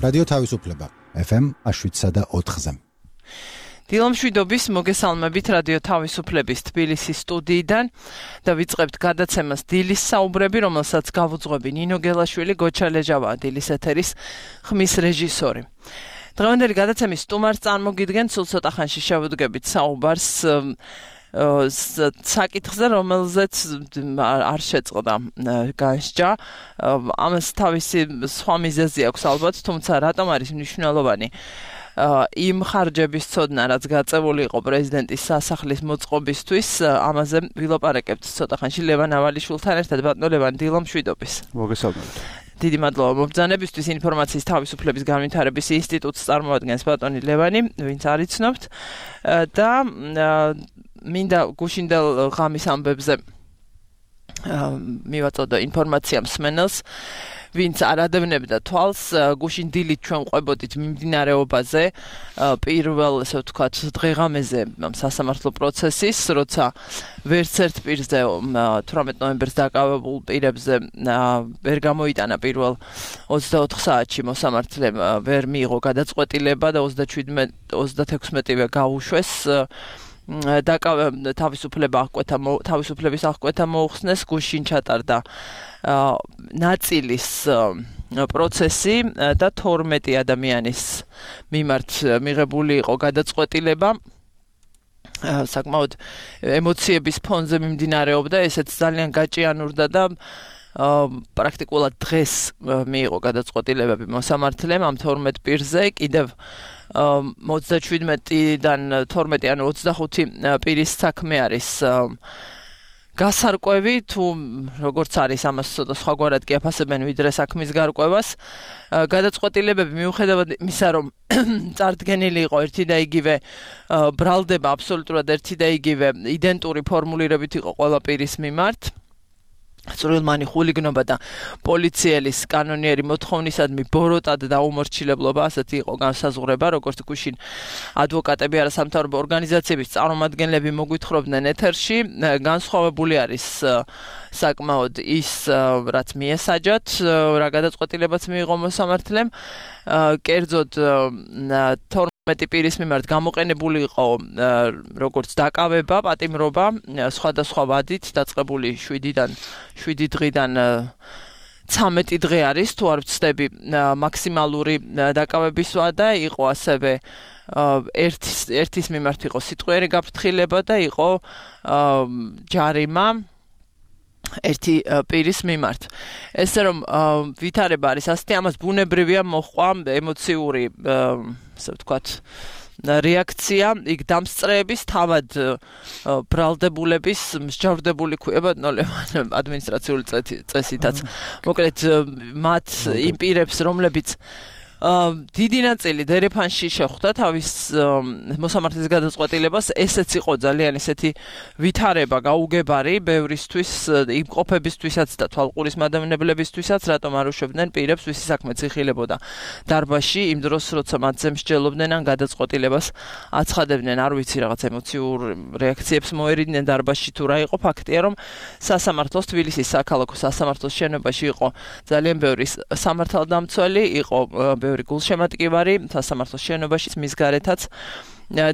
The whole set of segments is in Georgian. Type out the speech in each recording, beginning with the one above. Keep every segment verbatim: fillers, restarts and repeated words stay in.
რადიო თავისუფლება ეფ ემ შვიდსა და ოთხზე. დილომშვიდობის მოგესალმებით რადიო თავისუფლების თბილისის სტუდიიდან და ვიწყებთ გადაცემას დილის საუბრები, რომელსაც გავუძღვები ნინო გელაშვილი, გოჩა ლეჟავა, დილის ეთერის ხმის რეჟისორი. დღევანდელი გადაცემის სტუმარს წარმოგიდგენთ, სულ ცოტა ხანში შევუდგებით საუბარს საკითხზე, რომელზეც არ შეწყდა განსჯა. ამას თავისი სხვა მიზეზი აქვს ალბათ, თუმცა რატომ არის მნიშვნელოვანი იმ ხარჯების ცოდნა, რაც გაწეული იყო პრეზიდენტის სასახლის მოწყობისთვის, ამაზე ვილაპარაკებთ ცოტა ხანში ლევან ავალიშვილთან ერთად. ბატონო ლევან, დილომშვიდობის. მოგესალმებით. დიდი მადლობა მობრძანებისთვის. ინფორმაციის თავისუფლების განვითარების ინსტიტუტს წარმოადგენს ბატონი ლევანი, ვინც არ იცნობთ და მინდა გუშინდელ ღამის ამბებზე მივაწოდო ინფორმაცია მსმენელს, ვინც არ ადევნებდა თვალს, გუშინ დილით ჩვენ ყვებოდით მიმდინარეობაზე პირველ, ესე ვთქვათ, დღეღამეზე სასამართლო პროცესის, როცა ვერც ერთ პირზე თვრამეტ ნოემბერს დაკავებულ პირებზე ვერ გამოიტანა პირველ ოცდაოთხ საათში მოსამართლემ ვერ მიიღო გადაწყვეტილება და ოცდათექვსმეტივე გაუშვეს. თავისუფლება აღკვეთა თავისუფლების აღკვეთა მოუხსნეს, გუშინ ჩატარდა ნაწილის პროცესი და თორმეტი ადამიანის მიმართ მიღებული იყო გადაწყვეტილება. საკმაოდ ემოციების ფონზე მიმდინარეობდა, ესეც ძალიან გაჭიანურდა და პრაქტიკულად დღეს მიიღო გადაწყვეტილებები მოსამართლემ ამ თორმეტ პირზე. კიდევ ოცდაშვიდმეტიდან თორმეტი ანუ ოცდახუთი პირის საქმე არის გასარკვევი, თუ როგორც არის ამას ცოტა სხვაგვარად კი აფასებენ ვიდრე საქმის გარკვევას. გადაწყვეტილებები მიუხედავად იმისა, რომ წარდგენილი იყო ერთი და იგივე ბრალდება, აბსოლუტურად ერთი და იგივე იდენტური ფორმულირებით იყო ყველა პირის მიმართ. სრულმანი ხულიგნობა და პოლიციელის კანონიერი მოთხოვნისადმი ბოროტად და უმორჩილებლობა, ასეთი იყო განსაზღვრება, როგორც გუშინ ადვოკატები, არასამთავრობო ორგანიზაციების წარმომადგენლები მოგვითხრობდნენ ეთერში. განსხვავებული არის საკმაოდ ის, რაც მიესაჯათ, რა გადაწყვეტილებაც მიიღო მოსამართლემ. კერძოდ თორმეტი პირის მიმართ გამოყენებული იყო როგორც დაკავება, პატიმრობა, სხვადასხვა ვადით დაწყებული შვიდიდან შვიდი დღიდან ცამეტი დღე არის, თუ არ ვცდები, მაქსიმალური დაკავების ვადა, იყო ასევე ერთის ერთის მიმართ იყო სიტყვიერი გაფრთხილება და იყო ჯარიმა ერთი პირის მიმართ. ესე რომ ვითარება არის ასეთი, ამას ბუნებრივია მოჰყვა ემოციური, ასე ვთქვათ, რეაქცია, იქ დამსწრეების, თავად ბრალდებულების, მსჯავრდებული ქვია ლევან ადმინისტრაციული წესითაც. მოკლედ მათ იმ პირებს, რომლებიც დიდი ნაწილი დერეფანში შეხვდა თავის მოსამართლის გადაწყვეტილებას, ესეც იყო ძალიან ესეთი ვითარება, გაუგებარი ბევრისთვის, იმყოფებისთვისაც და თვალყურის მადევნებლებისთვისაც, რატომ არ უშვებდნენ პირებს, ვისი საქმე იხილებოდა დარბაზში, იმ დროს, როცა მათზე მსჯელობდნენ ან გადაწყვეტილებას აცხადებდნენ. არ ვიცი, რაღაც ემოციურ რეაქციებს მოერიდნენ დარბაზში თუ რა იყო. ფაქტია, რომ სასამართლოს, თბილისის საქალაქო სასამართლოს შენობაში იყო ძალიან ბევრი სამართალდამცველი, იყო ბევრი გულშემატკივარი სასამართლოს შენობაში, მის გარეთაც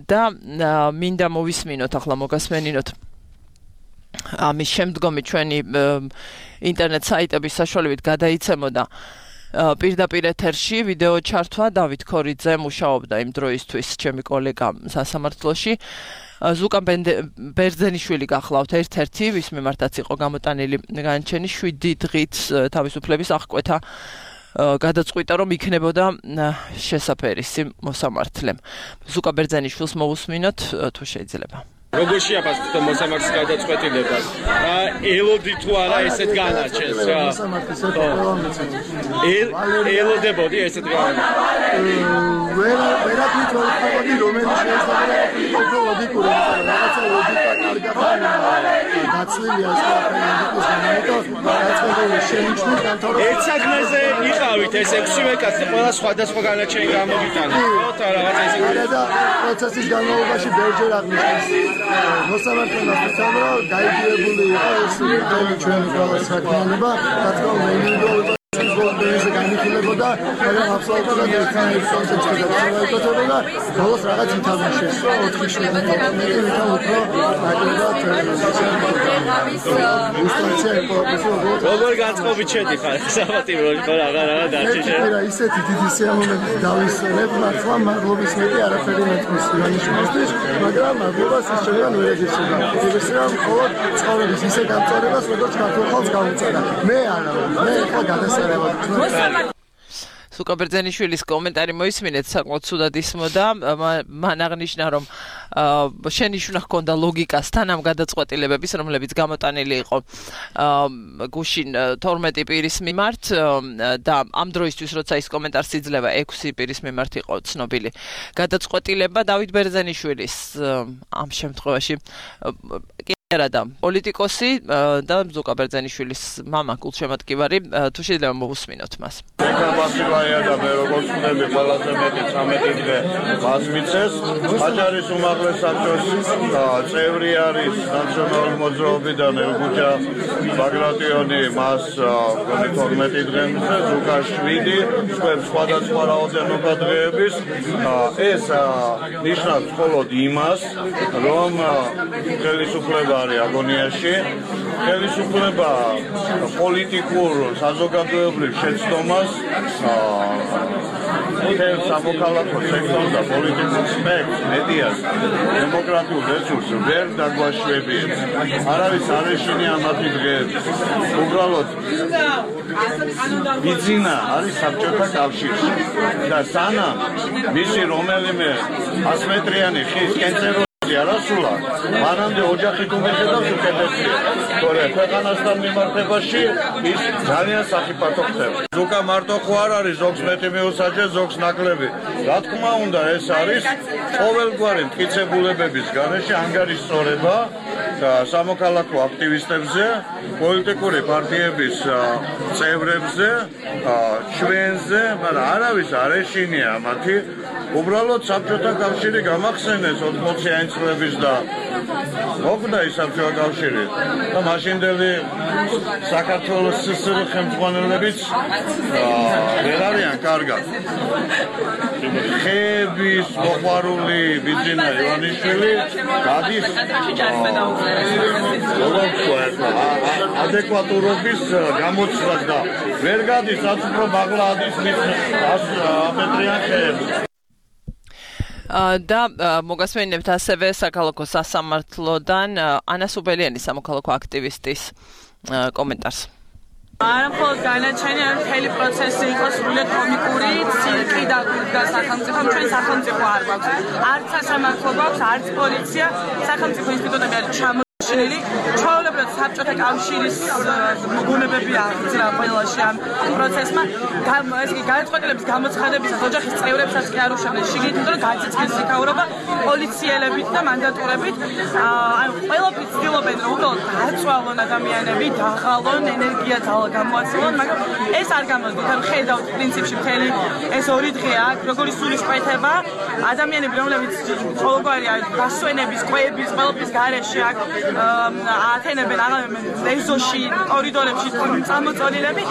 და მინდა მოვისმინოთ, ახლა მოგასმენინოთ ამის შემდგომი ჩვენი ინტერნეტ საიტების საშუალებით გადაიცემოდა პირდაპირ ეთერში ვიდეო ჩართვა. დავით ქორიძე მუშაობდა იმ დროისთვის, ჩემი კოლეგა სასამართლოში. ზუკა ბერძენიშვილი გახლავთ ერთ-ერთი, ვის მიმართაც იყო გამოტანილი განაჩენი შვიდი დღით თავისუფლების აღკვეთა გადაწყვიტა, რომ იქნებოდა შესაფერისი მოსამართლემ. ზუკა ბერძენიშვილს მოვუსმინოთ, თუ შეიძლება. როგორ შეაფასებთ მოსამართლის გადაწყვეტილებას? ელოდი თუ არა ესეთ განაჩენს რა? ელოდებოდი ესეთ განაჩენს? ვერ ვერაფრით ვერ ვთქვი, რომელიც შეესაბამება ლოგიკურ რაღაცა ლოგიკა კარგად დაცვილია ეს ლოგიკის განმარტება, დაწყებული შენიშნეს განთავრება. ერთ საგნეზე იყავით ეს ექვსივე კაცი, ყველა სხვადასხვა განაჩენი გამოგიტანა. ხო, და რაღაცა ესე. და პროცესის განმავლობაში ბევრჯერ აღნიშნეს მოსამართლემ ասացამ, რომ დაიგივებული იყო ეს ჩვენი ყველა საქმიანობა, რა თქმა უნდა ინდივიდუალურად ბოლომდე განიხილებოდა, მაგრამ აბსოლუტურად ერთმანეთის კონტექსტში და ბოლოს რაღაც ითამაშეს, რომ ოთხი შვიდი თორმეტი ვითან უფრო აკლებად როგორ განწყობით შედი ხარ საბატიმროში ხო რაღაც რაღაც დაჭიშე რა ისეთი დიდი სიამოვნებით დავისვენებ მართლა მადლობის მეტი არაფერი მეტყვის რანიშნისთვის მაგრამ მადლობას ის შეიძლება ვერ ეძებსება იგივე მხოლოდ ცხოვრების ისე გამწარებას როგორც ქართულ ხალხს გაუწევდა მე არა მე ხო გადასარევად სუკაბერძენიშვილის კომენტარი მოისმინეთ საკმაოდ ცუდად ისმოდა მან აღნიშნა რომ შენიშვნა ჰქონდა ლოგიკასთან ამ გადაწყვეტილებების რომლებიც გამოტანილი იყო გუშინ თორმეტი პირის მიმართ და ამ დროისთვის როცა ის კომენტარს იძლევა ექვსი პირის მიმართ იყო ცნობილი გადაწყვეტილება დავით ბერძენიშვილის ამ შემთხვევაში რა და პოლიტიკოსი და ზუკა ბერძენიშვილის მამა გულშემატკივარი თუ შეიძლება მოусმინოთ მას. ეკაბასილაია და მე როგორც ვთქვი ყველაზე მეტი ცამეტი დღე მას მიცეს. აჯარის უმაღლეს საბჭოს წევრი არის ნაციონალური მოძრაობიდან ელგუჯა ბაგრატიონი მას გონი თორმეტი დღე მისცეს ზუკა შვიდი სხვებს სხვადასხვა რაოდენობა დღეების ეს ნიშნავს მხოლოდ იმას რომ ხელისუფლება აგონიაში ხელისუფლება პოლიტიკურ საზოგადოებრივ შეცდომას მთელ სამოქალაქო სექტორს და პოლიტიკურ სპექტრს მედიას დემოკრატიულ რესურსს ვერ დაგვაშვებიებს არავის არ ეშინია მათი დღეები უბრალოდ ბიზინა არის საბჭოთა კავშირში და სანამ მისი რომელიმე ასმეტრიანი ხის კენწერო არასულა მანამდე ოჯახით უმეხედავს უკეთესია თორე ქვეყანასთან მიმართებაში ის ძალიან საფათო ხდება ზუკა მარტო ხო არ არის ზოგს მეტი მიუსაჯეს ზოგს ნაკლები რა თქმა უნდა ეს არის ყოველგვარი მტკიცებულებების გარეშე ანგარიშსწორება და სამოქალაქო აქტივისტებზე პოლიტიკური პარტიების წევრებზე ჩვენზე მაგრამ არავის არ ეშინია მათი უბრალოდ საბჭოთა კავშირი გამახსენეს ოთხმოციანი წლების და მოკვდა ის საბჭოთა კავშირი და მაშინდელი საქართველოს სსრ ხელმძღვანელებიც ვერ არიან კარგად ხეების მოყვარული ბიძინა ივანიშვილი გადის ადეკვატურობის გამოცდას და ვერ გადის რაც უფრო მაღლა ადის მის აპეტრიან ხეებს და მოგასმენებთ ასევე საქალაქო სასამართლოდან ანა სუბელიანის სამოქალაქო აქტივისტის კომენტარს. არა მხოლოდ განაჩენი არ მთელი პროცესი იყო სრულიად კომიკური, ცირკი და გულდა სახელმწიფომ ჩვენ სახელმწიფო არ გვაქვს. არც სასამართლო გვაქვს, არც პოლიცია, სახელმწიფო ინსტიტუტები არის ჩამოშლილი. ჩვეულებრივად საბჭოთა კავშირის მოგონებები აღძრა ყველაში ამ პროცესმა. ეს კი გადაწყვეტილების გამოცხადებისას ოჯახის წევრებსაც კი არ უშავდნენ შიგნით, იმიტომ რომ გაწეწეს იქაურობა პოლიციელებით და მანდატურებით. ანუ ყველაფერი ცდილობენ რომ უბრალოდ დაწვალონ ადამიანები, დაღალონ, ენერგია გამოაცილონ, მაგრამ ეს არ გამოდის. ანუ ხედავთ პრინციპში მთელი ეს ორი დღე აქ, როგორი სულისკვეთება, ადამიანები რომლებიც ყოველგვარი გასვენების, კვების, ყველაფრის გარეშე აქ ათენებენ აღებენ ეზოში, კორიდორებში წამოწოლილები,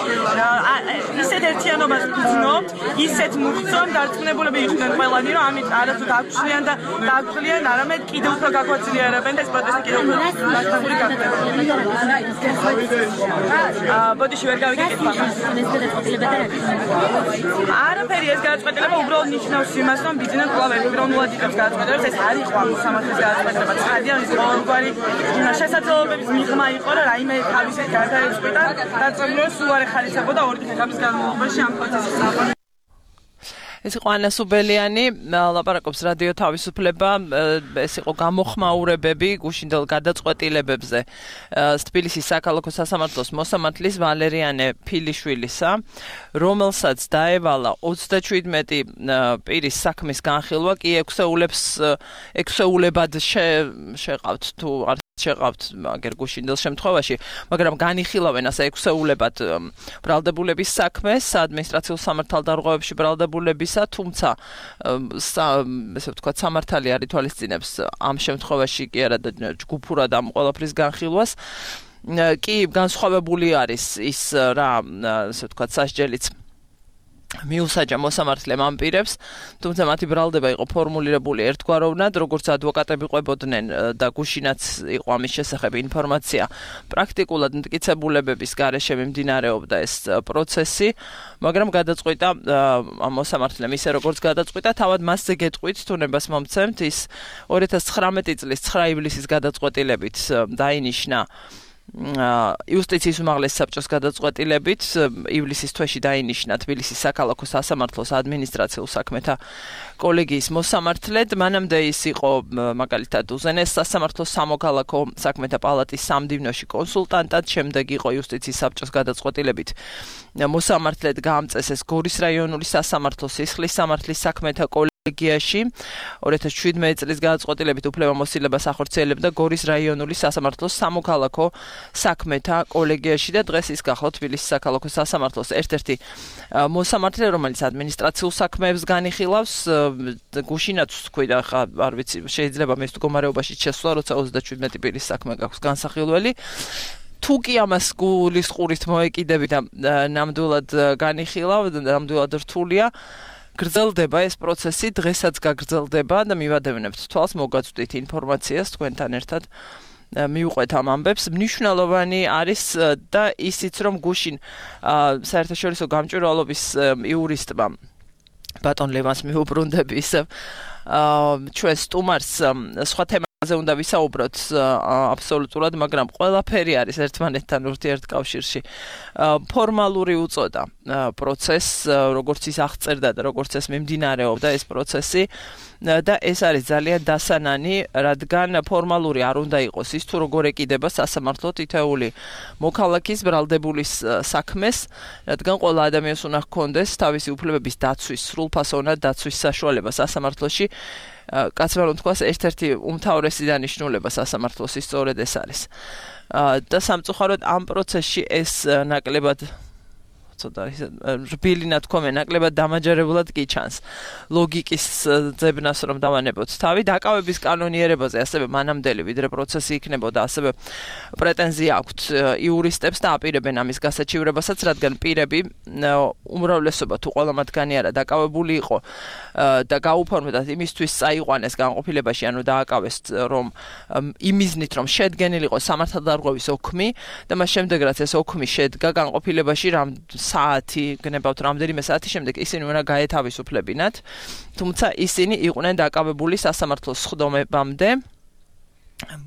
ისეთ ერთიანობას გრძნობთ, ისეთ მუხწონ დარწმუნებულები იყვნენ ყველანი, რომ ამით არათუ დაგჩნიან და დაგხლიან, არამედ კიდევ უფრო გაგვაძლიერებენ და ეს პროტესტი კიდევ უფრო მართული გახდება. ბოდიში ვერ გავიკეთებ არაფერი ეს გადაწყვეტილება უბრალოდ ნიშნავს იმას რომ ბიზნეს კვლავ ეროვნულად იღებს გადაწყვეტილებას ეს არ იყო ამ სამართლის გადაწყვეტილება ცხადია ის ყოველგვარი შესაძლებლობების მიღმა იყო რომ რაიმე თავისით გადაეწყვეტა დაწყვეტილება სულ არ ეხარისებოდა ორი დღის განმავლობაში ამ პროცესის საფუძველი ეს იყო ანა სუბელიანი ლაპარაკობს რადიო თავისუფლება ეს იყო გამოხმაურებები გუშინდელ გადაწყვეტილებებზე თბილისის საქალაქო სასამართლოს მოსამართლის ვალერიანე ფილიშვილისა რომელსაც დაევალა ოცდაშვიდმეტი პირის საქმის განხილვა კი ექვსეულებს ექვსეულებად შეყავთ თუ არ შეყავთ მაგერ გუშინდელ შემთხვევაში მაგრამ განიხილავენ ასე ექვსეულებად ბრალდებულების საქმეს საადმინისტრაციულ სამართალდარღვევებში ბრალდებულებისა თუმცა ესე ვთქვათ სამართალი არ ითვალისწინებს ამ შემთხვევაში კი არა და ჯგუფურად ამ ყველაფრის განხილვას კი განსხვავებული არის ის რა ასე ვთქვათ სასჯელიც მიუსაჯა მოსამართლემ ამ პირებს, თუმცა მათი ბრალდება იყო ფორმულირებული ერთგვაროვნად, როგორც ადვოკატები ყვებოდნენ და გუშინაც იყო ამის შესახებ ინფორმაცია. პრაქტიკულად მტკიცებულებების გარეშე მიმდინარეობდა ეს პროცესი, მაგრამ გადაწყვიტა ამ მოსამართლემ ისე როგორც გადაწყვიტა, თავად მასზე გეტყვით თუნებას მომცემთ ის ორი ათას ცხრამეტი წლის ცხრა ივლისის გადაწყვეტილებით დაინიშნა იუსტიციის უმაღლეს საბჭოს გადაწყვეტილებით ივლისის თვეში დაინიშნა თბილისის საქალაქო სასამართლოს ადმინისტრაციულ საქმეთა კოლეგიის მოსამართლედ. მანამდე ის იყო მაგალითად უზენეს სასამართლოს სამოქალაქო საქმეთა პალატის სამდივნოში კონსულტანტად, შემდეგ იყო იუსტიციის საბჭოს გადაწყვეტილებით მოსამართლედ გაამწესეს გორის რაიონული სასამართლოს სისხლის სამართლის საქმეთა კოლეგიაში. ორი ათას შვიდმეტი წლის გადაწყვეტილებით უფლებამოსილებას ახორციელებდა გორის რაიონული სასამართლოს სამოქალაქო საქმეთა კოლეგიაში და დღეს ის გახლავთ თბილისის საქალაქო სასამართლოს ერთ-ერთი მოსამართლე, რომელიც ადმინისტრაციულ საქმეებს განიხილავს. გუშინაც თქვი და ხა არ ვიცი, შეიძლება მის მდგომარეობაში შესვლა, როცა ოცდაშვიდმეტი პირის საქმე გაქვს განსახილველი. თუ კი ამას გულისყურით მოეკიდები და ნამდვილად განიხილავ, ნამდვილად რთულია, გრძელდება ეს პროცესი, დღესაც გაგრძელდება და მივადევნებთ თვალს, მოგაწვდით ინფორმაციას თქვენთან ერთად მიუყვეთ ამ ამბებს. მნიშვნელოვანი არის და ისიც, რომ გუშინ საერთაშორისო გამჭვირვალობის იურისტმა ბატონ ლევანს მიუბრუნდები ისევ ჩვენ სტუმარს სხვა თემაზე უნდა ვისაუბროთ აბსოლუტურად, მაგრამ ყველაფერი არის ერთმანეთთან ურთიერთკავშირში. ფორმალური უწოდა პროცესს, როგორც ის აღწერდა და როგორც ეს მიმდინარეობდა ეს პროცესი და ეს არის ძალიან დასანანი, რადგან ფორმალური არ უნდა იყოს ის, თუ როგორ ეკიდება სასამართლო თითოეული მოქალაქის ბრალდებულის საქმეს, რადგან ყველა ადამიანს უნდა ჰქონდეს თავისი უფლებების დაცვის, სრულფასოვნად დაცვის საშუალება სასამართლოში. კაცმა რომ თქვას, ერთ-ერთი უმთავრესი დანიშნულება სასამართლოს სწორედ ეს არის. და სამწუხაროდ ამ პროცესში ეს ნაკლებად ცოტა რბილი ნათქვამი ნაკლებად დამაჯერებლად კი ჩანს. ლოგიკის ძებნას რომ დავანებოთ თავი, დაკავების კანონიერებაზე ასევე მანამდელი ვიდრე პროცესი იქნებოდა, ასევე პრეტენზია აქვთ იურისტებს და აპირებენ ამის გასაჩივრებასაც, რადგან პირები უმრავლესობა თუ ყველა მათგანი არა დაკავებული იყო და გაუფორმდათ იმისთვის წაიყვანეს განყოფილებაში, ანუ დააკავეს რომ იმიზნით რომ შედგენილიყო სამართალდარღვევის ოქმი და მას შემდეგ რაც ეს ოქმი შედგა განყოფილებაში რამ საათი, გნებავთ რამდენიმე საათი შემდეგ ისინი უნდა გაეთავისუფლებინათ, თუმცა ისინი იყვნენ დაკავებული სასამართლოს სხდომებამდე.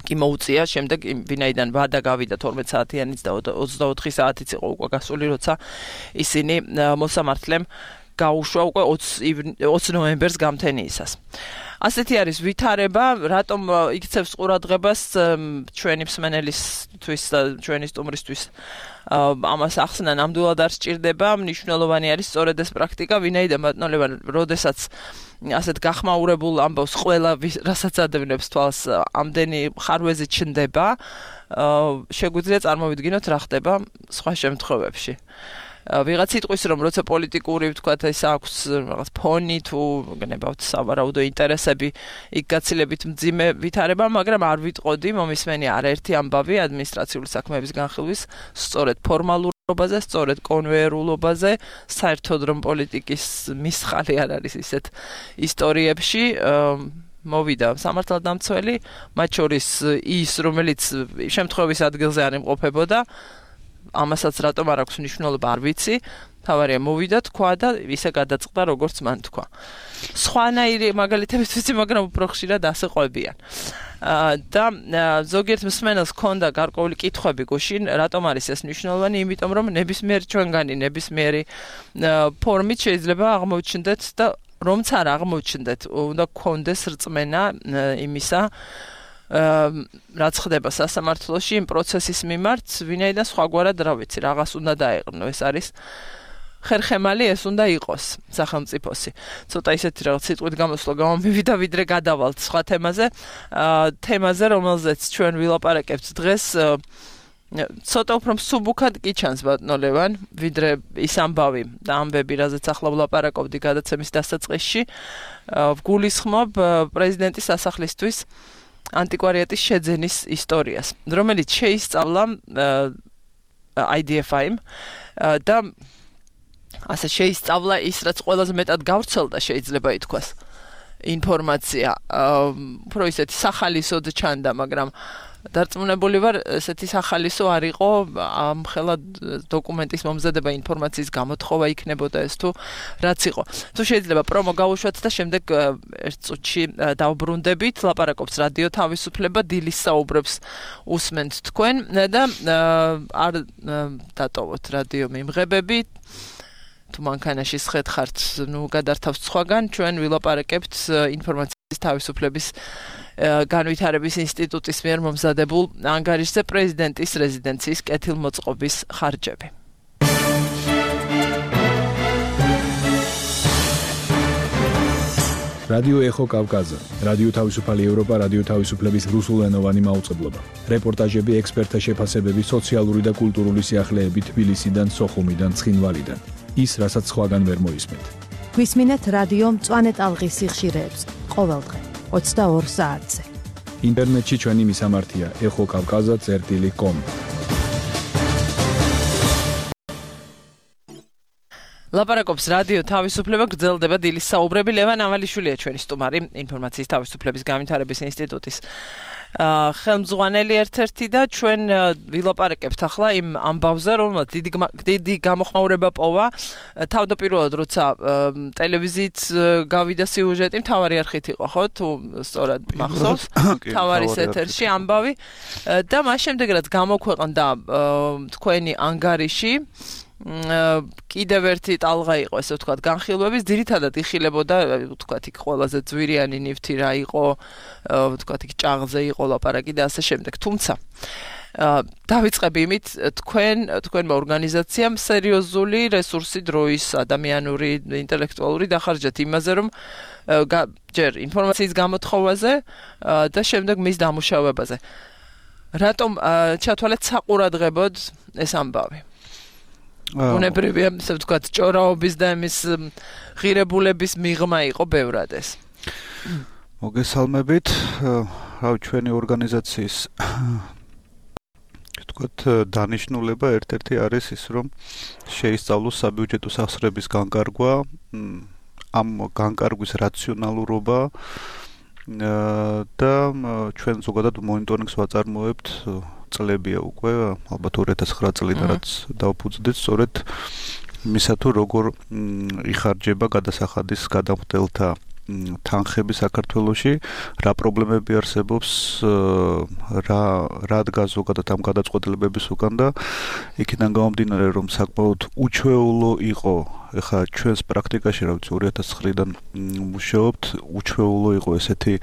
კი მოუწია შემდეგ ვინაიდან ვადა გავიდა თორმეტ საათიანიც და ოცდაოთხი საათიც იყო უკვე გასული, როცა ისინი მოსამართლემ გაუშვა უკვე ოცი ნოემბერს გამთენიისას. ასეთი არის ვითარება, რატომ იქცევს ყურადღებას ჩვენი მსმენელისთვის და ჩვენი სტუმრისთვის ამას ახსნა ნამდვილად არ სჭირდება, მნიშვნელოვანი არის სწორედ ეს პრაქტიკა, ვინაიდან ბატონო ლევან, როდესაც ასეთ გახმაურებულ ამბავს ყველა რასაც ადევნებს თვალს ამდენი ხარვეზი ჩნდება, შეგვიძლია წარმოვიდგინოთ რა ხდება სხვა შემთხვევებში. ვიღაც იტყვის რომ როცა პოლიტიკური ვთქვათ ეს აქვს რაღაც ფონი თუ გნებავთ სავარაუდო ინტერესები იქ გაცილებით მძიმე ვითარება, მაგრამ არ ვიტყოდი მომისმენი არაერთი ამბავი ადმინისტრაციული საქმეების განხილვის სწორედ ფორმალურობაზე, სწორედ კონვეერულობაზე, საერთოდ რომ პოლიტიკის მისხალი არ არის ისეთ ისტორიებში. მოვიდა სამართალდამცველი, მათ შორის ის რომელიც შემთხვევის ადგილზე არ იმყოფებოდა, ამასაც რატომ არ აქვს მნიშვნელობა არ ვიცი, თავარია მოვიდა თქვა და ისე გადაწყდა როგორც მან თქვა. სხვანაირი მაგალითებიც ვიცი, მაგრამ უფრო ხშირად ასე ყვებიან. და ზოგიერთ მსმენელს ჰქონდა გარკვეული კითხვები გუშინ, რატომ არის ეს მნიშვნელოვანი, იმიტომ რომ ნებისმიერი ჩვენგანი ნებისმიერი ფორმით შეიძლება აღმოჩნდეთ და რომც არ აღმოჩნდეთ, უნდა გქონდეს რწმენა იმისა, რაც ხდება სასამართლოში იმ პროცესის მიმართ, ვინაიდან სხვაგვარად რა ვიცი, რაღაც უნდა დაეყრნო, ეს არის ხერხემალი, ეს უნდა იყოს სახელმწიფოსი. ცოტა ისეთი რაღაც სიტყვით გამოსვლა გამომივიდა, ვიდრე გადავალთ სხვა თემაზე, თემაზე, რომელზეც ჩვენ ვილაპარაკებთ დღეს, ცოტა უფრო მსუბუქად კი ჩანს ბატონო ლევან, ვიდრე ის ამბავი და ამბები, რაზეც ახლა ვლაპარაკობდი გადაცემის დასაწყისში, ვგულისხმობ პრეზიდენტის სასახლისთვის ანტიკვარიატის შეძენის ისტორიას, რომელიც შეისწავლა I D F I-მ და ასე შეისწავლა ის, რაც ყველაზე მეტად გავრცელდა, შეიძლება ითქვას, ინფორმაცია, უფრო ისეთი სახალისოდ ჩანდა, მაგრამ დარწმუნებული ვარ, ესეთი სახალისო არ იყო ამ ხელა დოკუმენტის მომზადება, ინფორმაციის გამოთხოვა იქნებოდა ეს თუ რაც იყო. თუ შეიძლება პრომო გავუშვათ და შემდეგ ერთ წუთში დავბრუნდებით, ლაპარაკობს რადიო თავისუფლება, დილის საუბრებს უსმენთ თქვენ და არ დატოვოთ რადიო მიმღებები. თუ მანქანაში სხედხართ, ნუ გადართავთ სხვაგან, ჩვენ ვილაპარაკებთ ინფორმაციის თავისუფლების განვითარების ინსტიტუტის მიერ მომზადებულ ანგარიშზე პრეზიდენტის რეზიდენციის კეთილმოწყობის ხარჯები. რადიო ეხო კავკაზა, რადიო თავისუფალი ევროპა, რადიო თავისუფლების რუსულენოვანი მაუწყებლობა. რეპორტაჟები, ექსპერტთა შეფასებები, სოციალური და კულტურული სიახლეები თბილისიდან, სოხუმიდან, ცხინვალიდან. ის, რასაც სხვაგან ვერ მოისმენთ. გვისმინეთ რადიო მწვანე ტალღის სიხშირეებს ყოველ დღე ოცდაორ საათზე. ინტერნეტში ჩვენი მისამართია ეხო კავკაზა წერტილი კომ. ლაპარაკობს რადიო თავისუფლება, გრძელდება დილის საუბრები. ლევან ავალიშვილია ჩვენი სტუმარი ინფორმაციის თავისუფლების განვითარების ინსტიტუტის ხელმძღვანელი ერთ-ერთი და ჩვენ ვილაპარაკებთ ახლა იმ ამბავზე, რომელმაც დიდი დიდი გამოხმაურება პოვა თავდაპირველად, როცა ტელევიზიით გავიდა სიუჟეტი, მთავარი არხით იყო, ხო? თუ სწორად მახსოვს, მთავარი ეთერში ამბავი და მას შემდეგ რაც გამოქვეყნდა თქვენი ანგარიში, კიდევ ერთი ტალღა იყო, ესე ვთქვათ, განხილვების, ძირითადად იხილებოდა, ვთქვათ, იქ ყველაზე ძვირიანი ნივთი რა იყო, ვთქვათ, იქ ჭაღზე იყო ლაპარაკი და ასე შემდეგ. თუმცა დავიწყები იმით, თქვენ, თქვენმა ორგანიზაციამ სერიოზული რესურსი, დროის, ადამიანური, ინტელექტუალური დახარჯეთ იმაზე, რომ ჯერ ინფორმაციის გამოთხოვაზე და შემდეგ მის დამუშავებაზე. რატომ ჩათვალეთ საყურადღებოდ ეს ამბავი? უნებრივია, ასე ვთქვათ, ჭორაობის და იმის ღირებულების მიღმა იყო ბევრად ეს. მოგესალმებით, რავი, ჩვენი ორგანიზაციის ვთქვათ, დანიშნულება ერთ-ერთი არის ის, რომ შეისწავლოს საბიუჯეტო სახსრების განკარგვა, ამ განკარგვის რაციონალურობა და ჩვენ ზოგადად მონიტორინგს ვაწარმოებთ წლებია უკვე, ალბათ ორი ათას ცხრა წლიდან რაც დავფუძნდით, სწორედ მისა თუ როგორ იხარჯება გადასახადის გადამხდელთა თანხები საქართველოში, რა პრობლემები არსებობს, რა რა დგას ზოგადად ამ გადაწყვეტილებების უკან და იქიდან გამომდინარე, რომ საკმაოდ უჩვეულო იყო, ეხლა ჩვენს პრაქტიკაში, რა ვიცი, ორი ათას ცხრიდან მუშაობთ, უჩვეულო იყო ესეთი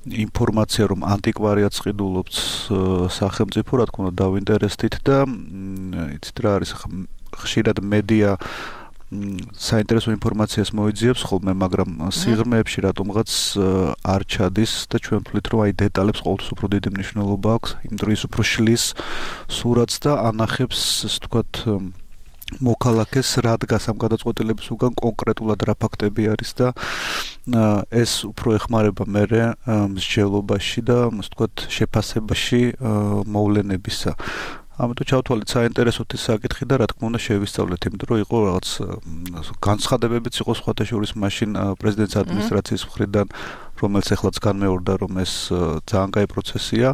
ინფორმაცია, რომ ანტიკვარიატს ყიდულობთ სახელმწიფო, რა თქმა უნდა, დავინტერესდით და იცით რა არის, ხშირად მედია საინტერესო ინფორმაციას მოიძიებს ხოლმე, მაგრამ სიღრმეებში რატომღაც არ ჩადის და ჩვენ ვთვლით, რომ აი დეტალებს ყოველთვის უფრო დიდი მნიშვნელობა აქვს, იმ დროს უფრო შლის სურათს და ანახებს, ასე ვთქვათ, მოქალაქეს რა დგას ამ გადაწყვეტილების უკან, კონკრეტულად რა ფაქტები არის და ეს უფრო ეხმარება მერე მსჯელობაში და ასე ვთქვათ, შეფასებაში მოვლენებისა. ამიტომ ჩავთვალეთ საინტერესოდ ის საკითხი და რა თქმა უნდა შევისწავლეთ, იმიტომ რომ იყო რაღაც განცხადებებიც იყო სხვათა შორის მაშინ პრეზიდენტის ადმინისტრაციის მხრიდან, რომელიც ეხლაც განმეორდა, რომ ეს ძალიან კაი პროცესია.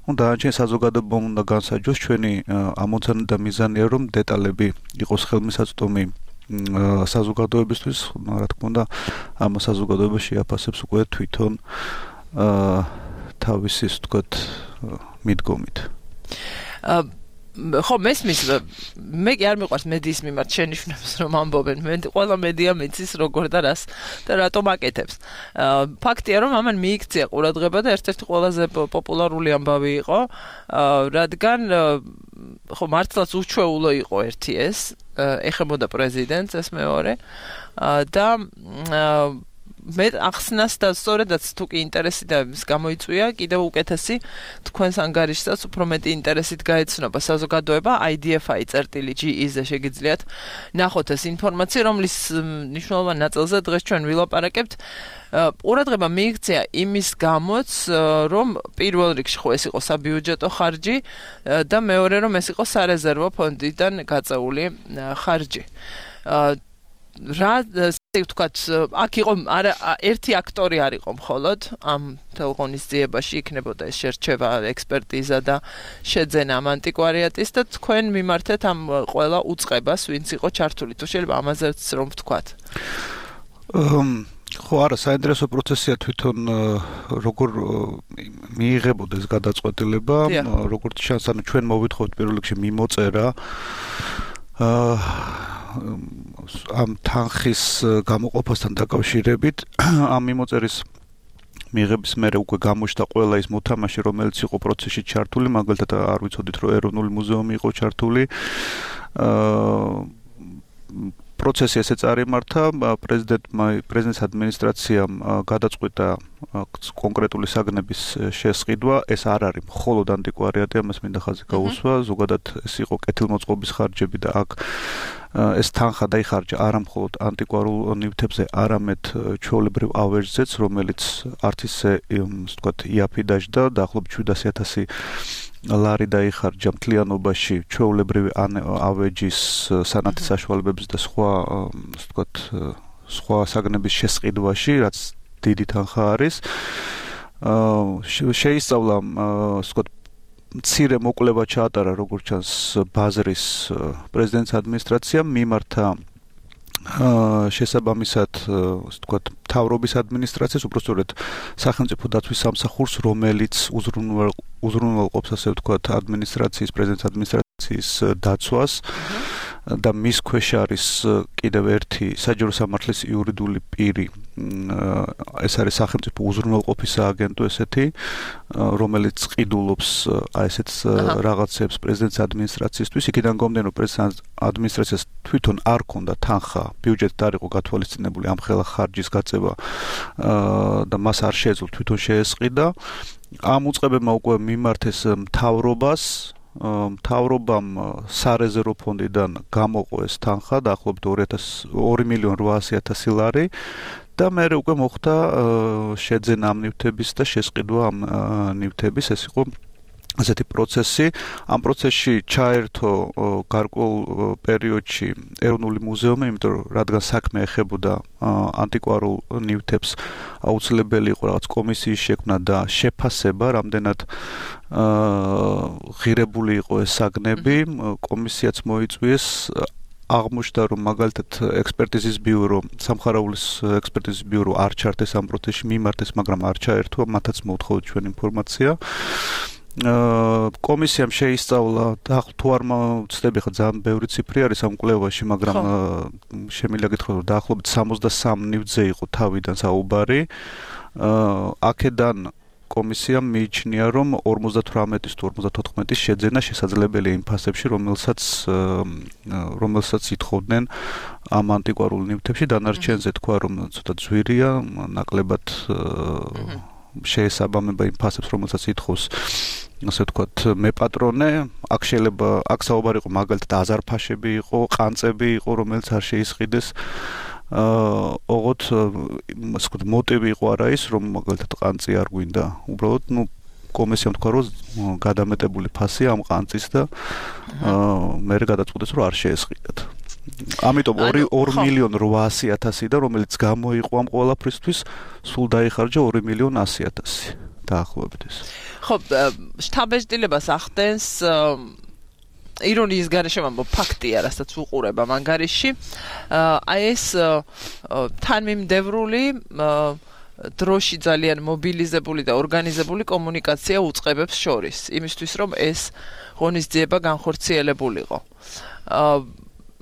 ნუ დანარჩენ საზოგადოებამ უნდა განსაჯოს, ჩვენი ამოცანა და მიზანია, რომ დეტალები იყოს ხელმისაწვდომი საზოგადოებისთვის, რა თქმა უნდა, ამ საზოგადოებას შეაფასებს უკვე თვითონ თავისი, ვთქვათ, მიდგომით. ხო, მესმის, მე კი არ მიყვარს მედიის მიმართ შენიშვნებს, რომ ამბობენ, მე ყველა მედია მიცის როგორ და რას და რატომ აკეთებს. ფაქტია, რომ ამან მიიქცია ყურადღება და ერთ-ერთი ყველაზე პოპულარული ამბავი იყო, რადგან ხო მართლაც უჩვეულო იყო ერთი ეს, ეხებოდა პრეზიდენტს ეს მეორე და მე ახსნას და სწორედაც თუ კი ინტერესი და ის გამოიწვია, კიდევ უკეთესი თქვენს ანგარიშსაც უფრო მეტი ინტერესით გაეცნობა საზოგადოება I D F I წერტილი G E-ზე შეგიძლიათ ნახოთ ეს ინფორმაცია, რომლის მნიშვნელოვან ნაწილზე დღეს ჩვენ ვილაპარაკებთ. ყურადღება მიიქცია იმის გამოც, რომ პირველ რიგში ხო ეს იყო საბიუჯეტო ხარჯი და მეორე რომ ეს იყო სარეზერვო ფონდიდან გაწეული ხარჯი. რა ვთქვათ, აქ იყო არა ერთი აქტორი არ იყო მხოლოდ ამ თელღონისძიებაში იქნებოდა ეს შერჩევა, ექსპერტიზა და შეძენა ამ ანტიკვარიატის და თქვენ მიმართეთ ამ ყველა უწყებას, ვინც იყო ჩართული. თუ შეიძლება ამაზეც რომ ვთქვათ. ხო, არა, საინტერესო პროცესია თვითონ როგორ მიიღებოდა ეს გადაწყვეტილება, როგორც ჩანს, ანუ ჩვენ მოვითხოვთ პირველ რიგში მიმოწერა ამ თანხის გამოყოფასთან დაკავშირებით. ამ მიმოწერის მიღების მერე უკვე გამოჩნდა ყველა ის მოთამაშე, რომელიც იყო პროცესში ჩართული, მაგალითად არ ვიცოდით, რომ ეროვნული მუზეუმი იყო ჩართული. პროცესი ესე წარიმართა, პრეზიდენტმა პრეზიდენტის ადმინისტრაციამ გადაწყვიტა კონკრეტული საგნების შესყიდვა. ეს არ არის მხოლოდ ანტიკვარიატი, ამას მინდა ხაზი გაუსვა, ზოგადად ეს იყო კეთილმოწყობის ხარჯები და აქ ეს თანხა დაიხარჯა არა მხოლოდ ანტიკვარულ ნივთებზე, არამედ ჩვეულებრივ ავეჯზეც, რომელიც არც ისე ვთქვათ იაფი დაჯდა, დაახლოებით შვიდასი ათასი ლარი დაიხარჯა მთლიანობაში ჩვეულებრივი ავეჯის სანათის საშუალებების და სხვა ვთქვათ სხვა საგნების შესყიდვაში, რაც დიდი თანხა არის. შეისწავლა ვთქვათ მცირე მოკვლევა ჩაატარა, როგორც ჩანს, ბაზრის პრეზიდენტის ადმინისტრაციამ, მიმართა შესაბამისად, ვთქვათ, მთავრობის ადმინისტრაციას, უბრალოდ სახელმწიფო დაცვის სამსახურს, რომელიც უზრუნველყოფს, ასე ვთქვათ, ადმინისტრაციის, პრეზიდენტის ადმინისტრაციის დაცვას და მის ქვეშ არის კიდევ ერთი საჯარო სამართლის იურიდიული პირი. ეს არის სახელმწიფო უზრუნველყოფის სააგენტო ესეთი, რომელიც ყიდულობს აი ესეთ რაღაცებს პრეზიდენტის ადმინისტრაციისთვის. იქიდან გამომდინარე, რომ პრეზიდენტის ადმინისტრაციას თვითონ არ ქონდა თანხა, ბიუჯეტით არ იყო გათვალისწინებული ამ ხელა ხარჯის გაწევა და მას არ შეეძლო თვითონ შეესყიდა. ამ უწყებებმა უკვე მიმართეს მთავრობას, მთავრობამ სარეზერვო ფონდიდან გამოყო ეს თანხა დაახლოებით ორი მილიონი რვაასი ათასი ლარი და მერე უკვე მოხდა შეძენა ამ ნივთების და შესყიდვა ამ ნივთების. ეს იყო ასეთი პროცესი. ამ პროცესში ჩაერთო გარკვეულ პერიოდში ეროვნული მუზეუმი, იმიტომ რომ რადგან საქმე ეხებოდა ანტიკვარულ ნივთებს, აუცილებელი იყო რაღაც კომისიის შექმნა და შეფასება, რამდენად ღირებული იყო ეს საგნები. კომისიაც მოიწვიეს. აღმოჩნდა, რომ მაგალითად ექსპერტიზის ბიურო, სამხარაულის ექსპერტიზის ბიურო არ ჩართეს ამ პროცესში, მიმართეს, მაგრამ არ ჩაერთო, მათაც მოუთხოვთ ჩვენ ინფორმაცია. კომისიამ შეისწავლა და თუ არ მოვცდები, ხა ძალიან ბევრი ციფრი არის ამ კვლევაში, მაგრამ შემიძლია გითხრათ, რომ დაახლოებით სამოცდასამ ნივთზე იყო თავიდან საუბარი. აქედან კომისიამ მიიჩნია, რომ ორმოცდათვრამეტის თუ ორმოცდათოთხმეტის შეძენა შესაძლებელია იმ ფასებში, რომელსაც რომელსაც ითხოვდნენ ამ ანტიკვარულ ნივთებში. დანარჩენზე თქვა, რომ ცოტა ძვირია, ნაკლებად შეესაბამება იმ ფასებს, რომელსაც ითხოვს, ასე ვთქვათ, მეპატრონე. აქ შეიძლება აქ საუბარი იყო მაგალითად აზარფაშები იყო, ყანწები იყო, რომელიც არ შეისყიდეს. ოღონდ ასე ვთქვათ, მოტივი იყო არა ის, რომ მაგალითად ყანწი არ გვინდა. უბრალოდ, ნუ კომისიამ თქვა, რომ გადამეტებული ფასი ამ ყანწის და მერე გადაწყვიტეს, რომ არ შეესყიდათ. ამიტომ ორი მილიონი რვაასი ათასი და რომელიც გამოიყო ამ ყველაფრისთვის, სულ დაიხარჯა ორი მილიონი ასი ათასი დაახლოებით ეს. ხო, შთაბეჭდილებას ახდენს ირონიის გარეშე ვამბობ, ფაქტია, რასაც უყურებ ამ ანგარიში. აი ეს თანმიმდევრული დროში ძალიან მობილიზებული და ორგანიზებული კომუნიკაცია უწყებებს შორის, იმისთვის რომ ეს ღონისძიება განხორციელებულიყო.